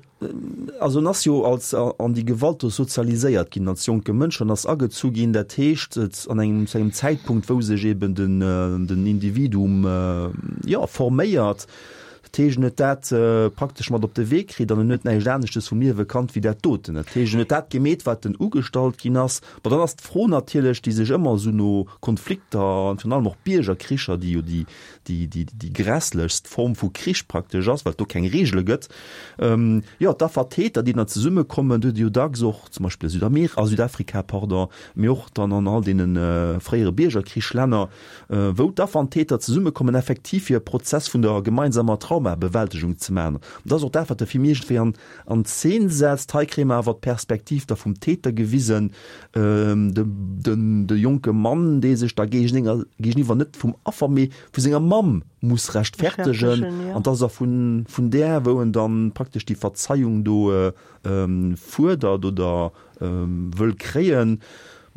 also en ass jo als an déi Gewalt do sozialiséiert ginn als jonke Mënsch an ass agezu ginn. Dat heescht, et an engem, zu engem Zäitpunkt, wou sech eben den, den Individuum, jo, forméiert. Dat heescht, en huet dat praktesch mat op de Wee kritt an en huet näischt aneschtes vum Liewe kannt wéi dat doten. Dat heescht, en huet dat gemeet, wat en ugestallt ginn ass. Bon, dann ass d'Fro natierlech, déi sech ëmmer esou no Konflikter an virun allem och Biergerkricher, déi jo déi, déi, déi, déi grässlechst Form vu Krich praktesch ass, well et do keng Reegele gëtt, jo, d'Affer, d'Täter, déi dann zesummekommen, do huet ee jo dacks och zum Beispill a Südamer-, a Südafrika, pardon, mee och dann an all deene fréiere Biergerkrichslänner, wou d'Affer an d'Täter zesummekommen, effektiv fir e Prozess vun der gemeinsamer Traumabewältegung ze maachen. An dat ass och dat, wat de Film iergendwéi an, an Zeen setzt. Hei kréie mer awer d'Perspektiv da vum Täter gewisen, de, den, de jonke Mann, dee sech da géigeniwwer, géigeniwwer net vum Affer, mee vu senger Mamm muss rechtfertegen. An dass er vun, vun där, wou en dann praktesch déi Verzeiung do fuerdert oder wëll kréien.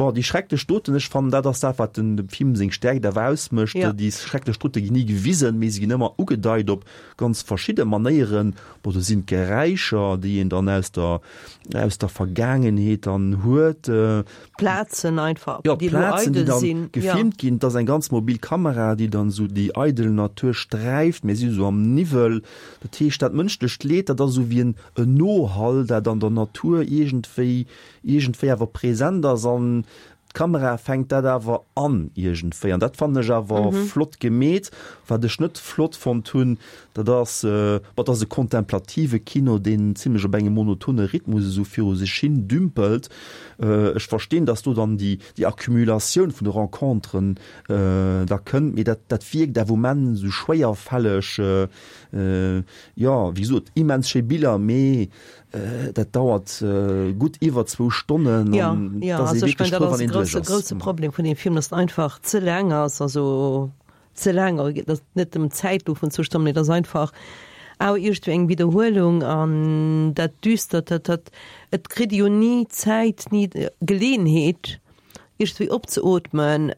Bon, déi schrecklech Doten, ech fannen, dat ass dat, wat den dem Film seng Stärkt awer ausmécht. Ja. Déi schrecklech Dote ginn ni gewisen, mee se ginn ëmmer ugedeit op ganz verschidde Manéieren. Bon, do sinn d'Geräischer, déi een dann aus der, aus der Vergaangenheet dann huet. D'Plazen einfach, Ja, déi elo d'Plazen, déi eidel dann sinn. Ja. gefilmt ginn. Et ass eng ganz mobil Kamera, déi dann esou déi eidel Natur sträift. Mir si sou am Niwwel. Dat heescht, dat mënschlecht Leed, dat ass esou wéi en, en Nohall, dat an der Natur iergendwéi, iergendwéi awer present ass an d'Kamera fänkt dat awer an iergendwéi. An dat fannen ech awer Mhm. flott gemeet. Wat ech net flott fonnt hunn, dat ass, bon, dat ass e kontemplative Kino, deen zimlech op engem monotone Rhythmus esou viru sech hin dümpelt. Ech verstinn, dass do dann déi, déi Accumulatioun vun de Renconteren da kënnt, mee dat, dat wierkt awer um Enn esou schwéierfälleg. Jo, wéi gesot, immens schéi Biller, mee dat dauert gutt iwwer zwou Stonnen Ja, an ja, et ass ee also ech wierklech mengen, dat frou, ass wann e een duerch grousse, ass. grousse Problem vun deem Film, dass en einfach ze laang ass, also ze laang, et ass net ëm d'Zäit elo vun zwou Stonnen, mee et ass einfach awer iergendwéi eng Widderhuelung an dat Düstert, dat, dat, et kritt ee jo ni Zäit, ni Geleeënheet, iergendwéi opzeootmen,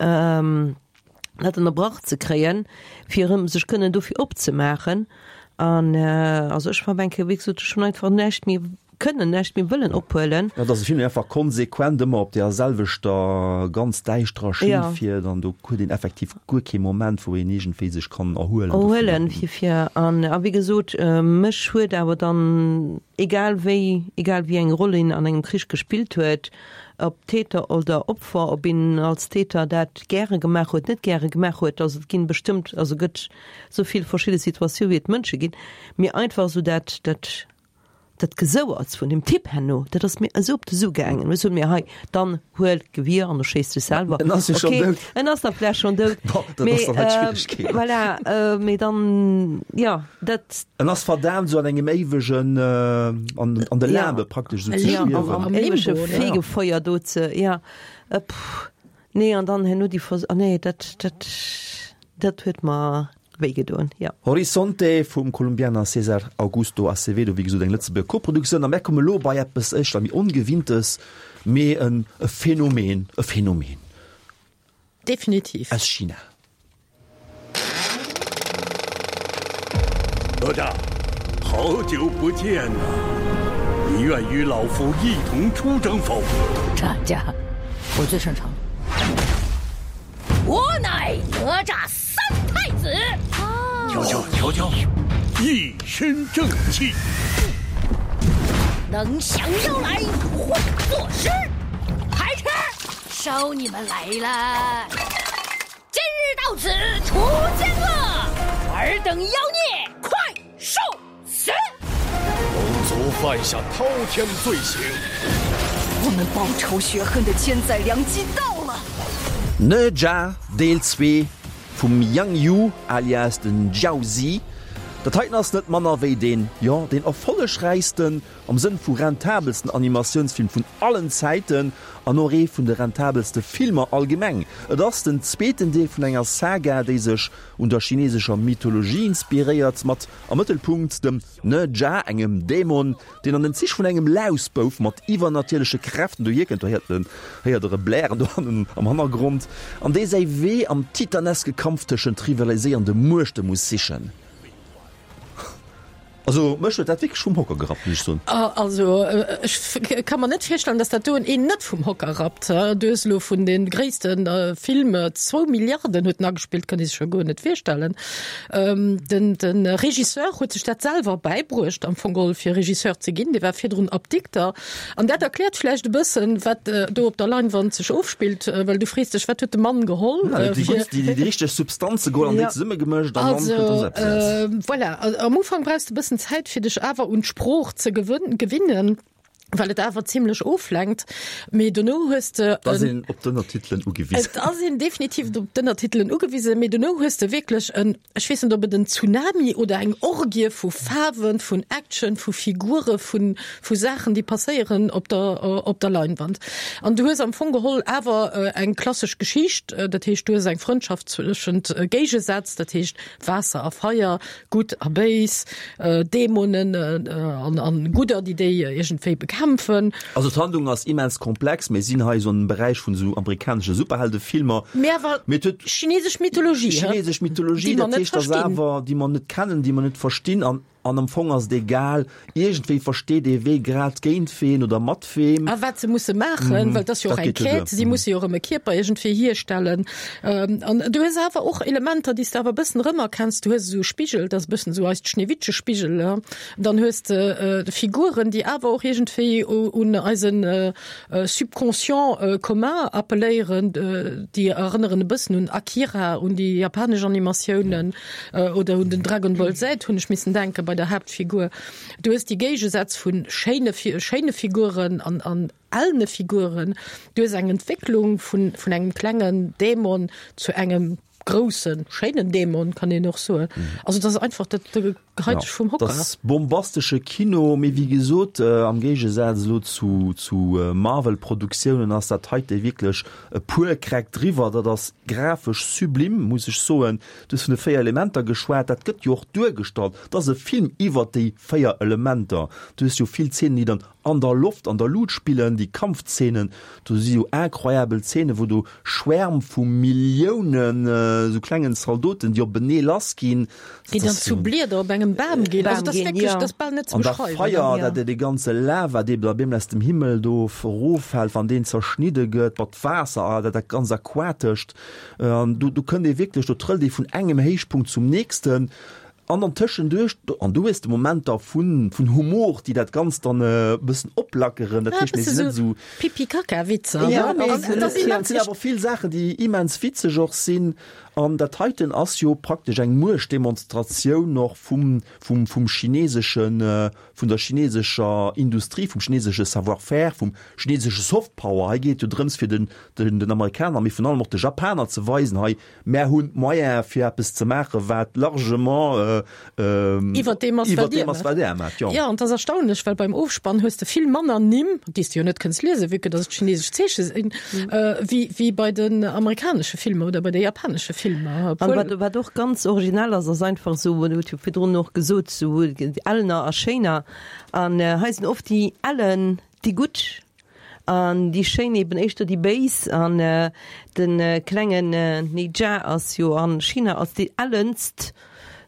dat ënnerbrach ze kréien, fir erëm sech kënnen dofir opzemaachen. An also ech war eng Kéier, wéi gesot, ech hunn einfach näischt méi kënnen, näischt méi wëllen ophuelen. Dat ass e Film, deen einfach konsequent ëmmer op deer selwechter ganz däischterer Schinn Ja. fiert an do huet een effektiv guer kee Moment, wou een iergendwéi sech kann erhuelen dovunner. Erhuelen, fir, fir an, a wéi gesot, mech huet awer dann, egal wéi, egal wéi eng Roll een an engem Krich gespillt huet, ob Täter oder Opfer, ob een als Täter dat gäre gemaach huet, net gäre gemaach huet, also et ginn bestëmmt, also gëtt esou vill verschidde Situatioun wéi et Mënsche ginn, mee einfach esou dat, dat, dat Gesouerts vun dem Typ herno, dat ass mir esou op de Su gaangen. Ech sot mir, hei, dann huel d'Gewier an erschéiss dech selwer. En ass jo schonn Okay, dout. en ass da vläicht schonn dout. Bon, dat Mee, ass dann halt d'Schwieregkeet. voilà, mee dann, jo, dat. En ass verdaamt, esou an engem éiwegen, an, an de Ja. Limbe praktesch esou ze Ja, am, schwiewen. am éiwege Fegefeuer do ze, ja, pff, nee, an dann herno déi Vers-, ah nee, dat, dat, dat huet mer wéi gedoen, ja. Horizonte vum Kolumbianer César Augusto Acevedo, wéi gesot eng Lëtzebuerger Koproduktioun. A mär komme lo bei eppes éischter méi Ongewinntes, mee en e Phänomen, e Phänomen. Definitiv. Aus China. 哪吒，好久不见呐！你愿与老夫一同出征否？战家，我最擅长。我乃哪吒三太子。瞧瞧瞧瞧，一身正气，能降妖来会作诗，还吃收你们来了。今日到此除奸恶，尔等妖孽快受死！龙族犯下滔天罪行，我们报仇雪恨的千载良机到了。 Ne Zha Deel zwee vum Yang Yu alias den Jiao Zi. Dat heiten ass net manner wéi deen, jo, deen erfollegräichsten, am Sënn vu rentabelsten Animatiounsfilm vun allen Zäiten an och ee vun de rentabelste Filmer allgemeng. Et ass den zweeten Deel vun enger Saga, déi sech un der chinesescher Mythologie inspiréiert, mat am Mëttelpunkt dem Ne Zha, engem Dämon, deen an den Zich vun engem Lausbouf mat iwwernatierleche Kräften dohierkënnt, do héiert en, héiert der e Blären do hannen am Hannergrond, an dee säi Wee am titaneske Kampf tëschent rivaliséierende Muechte muss sichen. Also mech huet dat wierklech vum Hocker gerappt, muss ech soen. Also ech ka mer net virstellen, dass dat doen een net vum Hocker rappt. Du hues elo vun de gréisste Film, zwou Milliarden huet en agespillt, kann ee sech jo guer net virstellen. Den de Regisseur huet sech dat selwer bäibruecht am Fong geholl fir Regisseur ze ginn, dee war virdrun Apdikter. An dat erkläert vläicht e bëssen, wat do op der Leinwand sech ofspillt, well du frees dech, wat huet de Mann geholl fir. Déi richteg Substanze geholl an déi zesummegemëscht an dann kënnt do eppes eraus. Voilà, am Ufank brauchs de e bëssen Zäit fir dech awer un d'Sprooch ze gewinnen, well et awer zimlech oflenkt, mee dono hues de Et ass een op d'Ënnertitelen ugewisen. Et ass een definitiv op d'Ënnertitelen ugewisen, mee dono hues de wierklech en, ech weess net ob et en Tsunami oder eng Orgie vu Faarwen, vun Action, vu Figure, vu vu Saachen déi passéieren op der op der Leinwand. An du hues am Fong geholl awer eng klassesch Geschicht, dat heescht du hues eng Frëndschaft zwëschent Géigesätz, dat heescht Waasser a Feier, Gutt a Béis, Dämonen an Gudder, déi déi iergendwéi bekämpfen. kämpfen. Also d'Handlung ass immens komplex, mir sinn hei esou am Beräich vun esou amerikanesche Superheldefilmer. Mee awer chinesesch Mythologie, Chinesesch Mythologie, dat heescht, dass awer, déi mer net kennen, déi mer net verstinn an An am Fong ass et egal, iergendwéi versteet ee wee grad géint ween oder mat weem. A wat se musse maachen, well et ass jo och eng Quête, si musse jo erëm e Kierper iergendwéi hierstellen. An du hues awer och Elementer, déi s de awer e bëssen erëmerkenns. Du hues esou Spigel, dat ass e bëssen esou eist Schneewittche-Spigel. Dann hues de Figuren, déi awer och iergendwéi un eise Subconscient commun appelléieren, déi erënneren e bëssen un Akira, un déi japanesch Animatiounen oder un den Dragon Ball Z hunn ech missen denken bei der Haaptfigur. Du hues déi Géigesätz vu schéine schéine Figuren an an ellene Figuren. Du hues eng Entwécklung vun vun engem klengen Dämon zu engem groussen, schéinen Dämon, kann een och soen. Also dat ass einfach, dat geheit dech vum Hocker. Dat ass bombastesche Kino, mee wéi gesot, am Géigesaz elo zu zu Marvel-Produktiounen ass dat heite wierklech e puer Kräck driwwer. Dat ass grafesch sublim, muss ech soen. Du hues vun de véier Elementer geschwat, dat gëtt jo och duergestallt. Et ass e Film iwwert déi véier Elementer. Du hues jo vill Zeenen, déi dann an der Loft, an der Lut spillen, déi Kampfzeenen, do si jo incroyabel Zeenen, wou do Schwärm vu Milliounen esou klengen Zaldoten, déi openee lassginn. Déi dann zu Blieder op engem Bam ginn. Also dat ass wierklech, dat ass bal net ze An dat beschreiwen. Feier, dat dee ganze Lava, dee da bemol aus dem Himmel do eroffält, wann deen zerschnidde gëtt, mat Waasser, dat dat ganz Aquatescht. An do, do kënnt ee wierklech, do trëllt ee vun engem Héichpunkt zum nächsten. An dann tëschenduerch, an du hues de Momenter vun, vun Humor, déi dat Ganzt dann e bëssen oplackeren. Dat Ja, heescht, mir bësse sinn net sou esou. Pipi-Kaka-Witzer, Ja, ne? mee An et dat ass sinn immens awer vill Saachen, déi immens witzeg och sinn. An dat heiten ass jo praktesch eng Muechtdemonstratioun och vum, vum, vum chineseschen, vun der chinesescher Industrie, vum chinesesche Savoir-faire, vum chinesesche Softpower. Hei geet et jo drëms, fir den, den, den Amerikaner, mee virun allem och de Japaner ze weisen, hei, mär hunn d'Moyene fir eppes ze maachen, wat largement iwwer deem ass, iwwer deem ass, wat Där maacht. Jo. Jo, an et ass erstaunlech, well beim Ofspann hues de vill manner Nimm, déi s de jo net kënns liesen, vue que dass et chinesesch Zeeche sinn, wéi, wéi bei den amerikanesche Filmer oder bei de japanesche Filmer. An wat, wat och ganz originell ass, ass einfach esou, Dir hutt jo virdrun och gesot, esou Ellener a Schéiner. An hei sinn oft déi Ellen déi Gutt an déi Schéin eben éischter déi Béis. An de klengen Ne Zha ass jo a China als déi ellenst,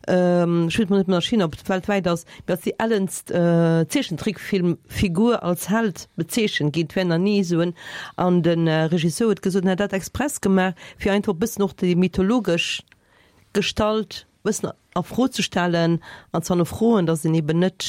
ech weess mol net méi a China, ob et weltwäit ass, mee als déi ellenst Zeechentrickfilmfigur als Held bezeechent ginn. Et wär nach ni esou en. An de Regisseur huet gesot, en hätt dat express gemaach, fir einfach e bëssen och déi mythologesch Gestalt bëssen a Fro ze stellen an ze hannerfroen, datt een eben net,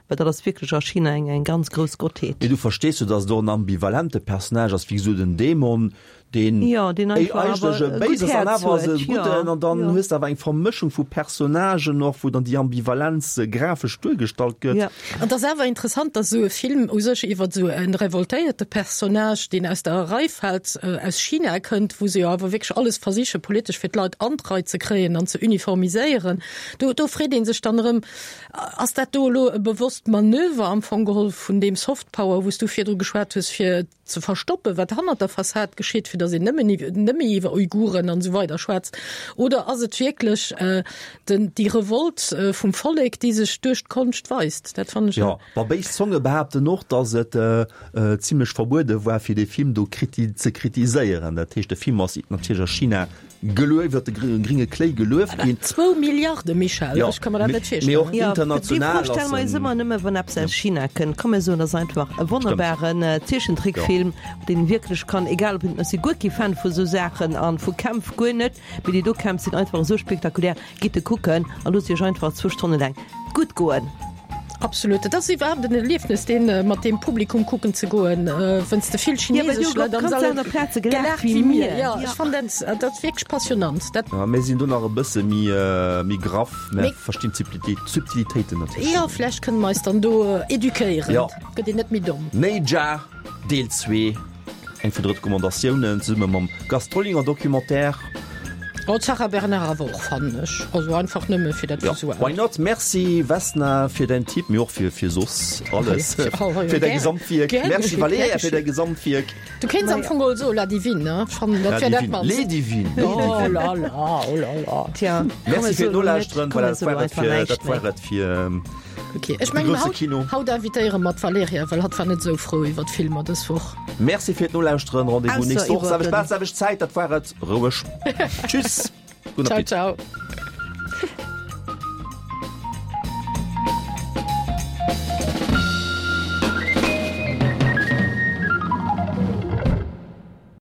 well dat ass wierklech a China eng eng ganz grouss Gottheet. Mee du verstees jo, datt et och en ambivalente Personnage ass, wéi gesot en Dämon, deen Jo, deen einfach eigentlech awer e e Béis gutt ass an Häerz awer ass e huet, jo, Gudden. An dann jo. hues de awer eng Vermëschung vu Personnagen och, wou dann déi Ambivalenz grafesch duergestallt gëtt. Jo. An et ass awer interessant, datt esou e Film u sech iwwer esou e revoltéierte Personnage, deen aus der Rei fält, aus China kënnt, wou se jo awer wierklech alles versiche politesch fir d'Leit an d'Rei ze kréien an ze uniformiséieren, do, do freet ee sech dann erëm, Ass dat do elo e bewosst Manöver am Fong geholl vun deem Softpower, wou s du virdru geschwat hues, fir ze verstoppen, wat hannert der Fassad geschitt, fir datt een nëmmen, net méi iwwer Uiguren an esou weider schwätzt? Oder ass et wierklech den, déi Revolt vum Vollek, déi sech duerch d'Konscht weist? Dat fannen ech. Jo, ma béis Zonge behaapten och, datt et zimlech verbuede war, fir dee Film do kriti, ze kritiséieren. Dat heescht, de Film ass natierlech a China gelueft, iwwer de gringe Kléi gelueft ginn. Zwou Milliarde, Michel, Jo, ech ka mer dat net mee och virstellen. Jo, déi international Fro stelle ass mer eis en. ëmmer nëmme wann eppes aus China kënnt. Komm mir soen, dat ass einfach e wonnerbaren Zeechentrickfilm, deen wierklech kann, egal ob een, ech si guer kee Fan vu sou Saachen an vu Kämpf guer net, mee déi do Kämpf sinn einfach esou spektakulär. Gitt e kucken a loosst iech einfach zwou Stonne laang gutt goen. Absolut, et ass iwwerhaapt en Erliefnes, deen mat deem Publikum kucken ze goen, wënns de vill chinesesch Leit am Sall aner Plaze gelaacht wéi mir. Jo, ech fannen dat, dat wierklech passionnant. Dat. Ja, mir sinn do nach e bësse méi, méi graff, mä verstinn d'Subtilitéiten natierlech. Jo, vläicht kënne mer eis dann do eduquéieren. Jo. Gëtt een net méi domm. Neijah, Deel zwee. Eng vun de Recommandatiounen, zesumme mam Gast Trollinger Documentaire. Oh, d'Sarah Bernard awer och, fannen ech. Also einfach nëmme fir dat Ja, Visuellt. why not? Merci Vesna fir däin Tipp, mee och fir fir soss alles, Oh, jo, fir däi gär. Gesamtwierk. Gär Merci geschéet, Valerija gär fir däi geschéet. Gesamtwierk. Du kéints am Fong geholl soen La Divine, ne? Ech fannen, dat La wär dat Divine, mannst. Les Divines, les Oh Divines. la la, oh la la. Tja, Merci fir d'Nolauschteren. komm, Voilà, mir dat war soen et einfach fir, näischt dat war méi. et fir Okay. Ech mengen haut, haut invitéiere mer d'Valerija, well hatt war net esou frou iwwer d'Filmer dës Woch. Merci fir d'Nolauschteren. Rendez-vous nächst Woch, selwecht Plaz, selwecht Zäit. Dat war et. Roueg. Tschüss. Gudden Appetit. Ciao, ciao.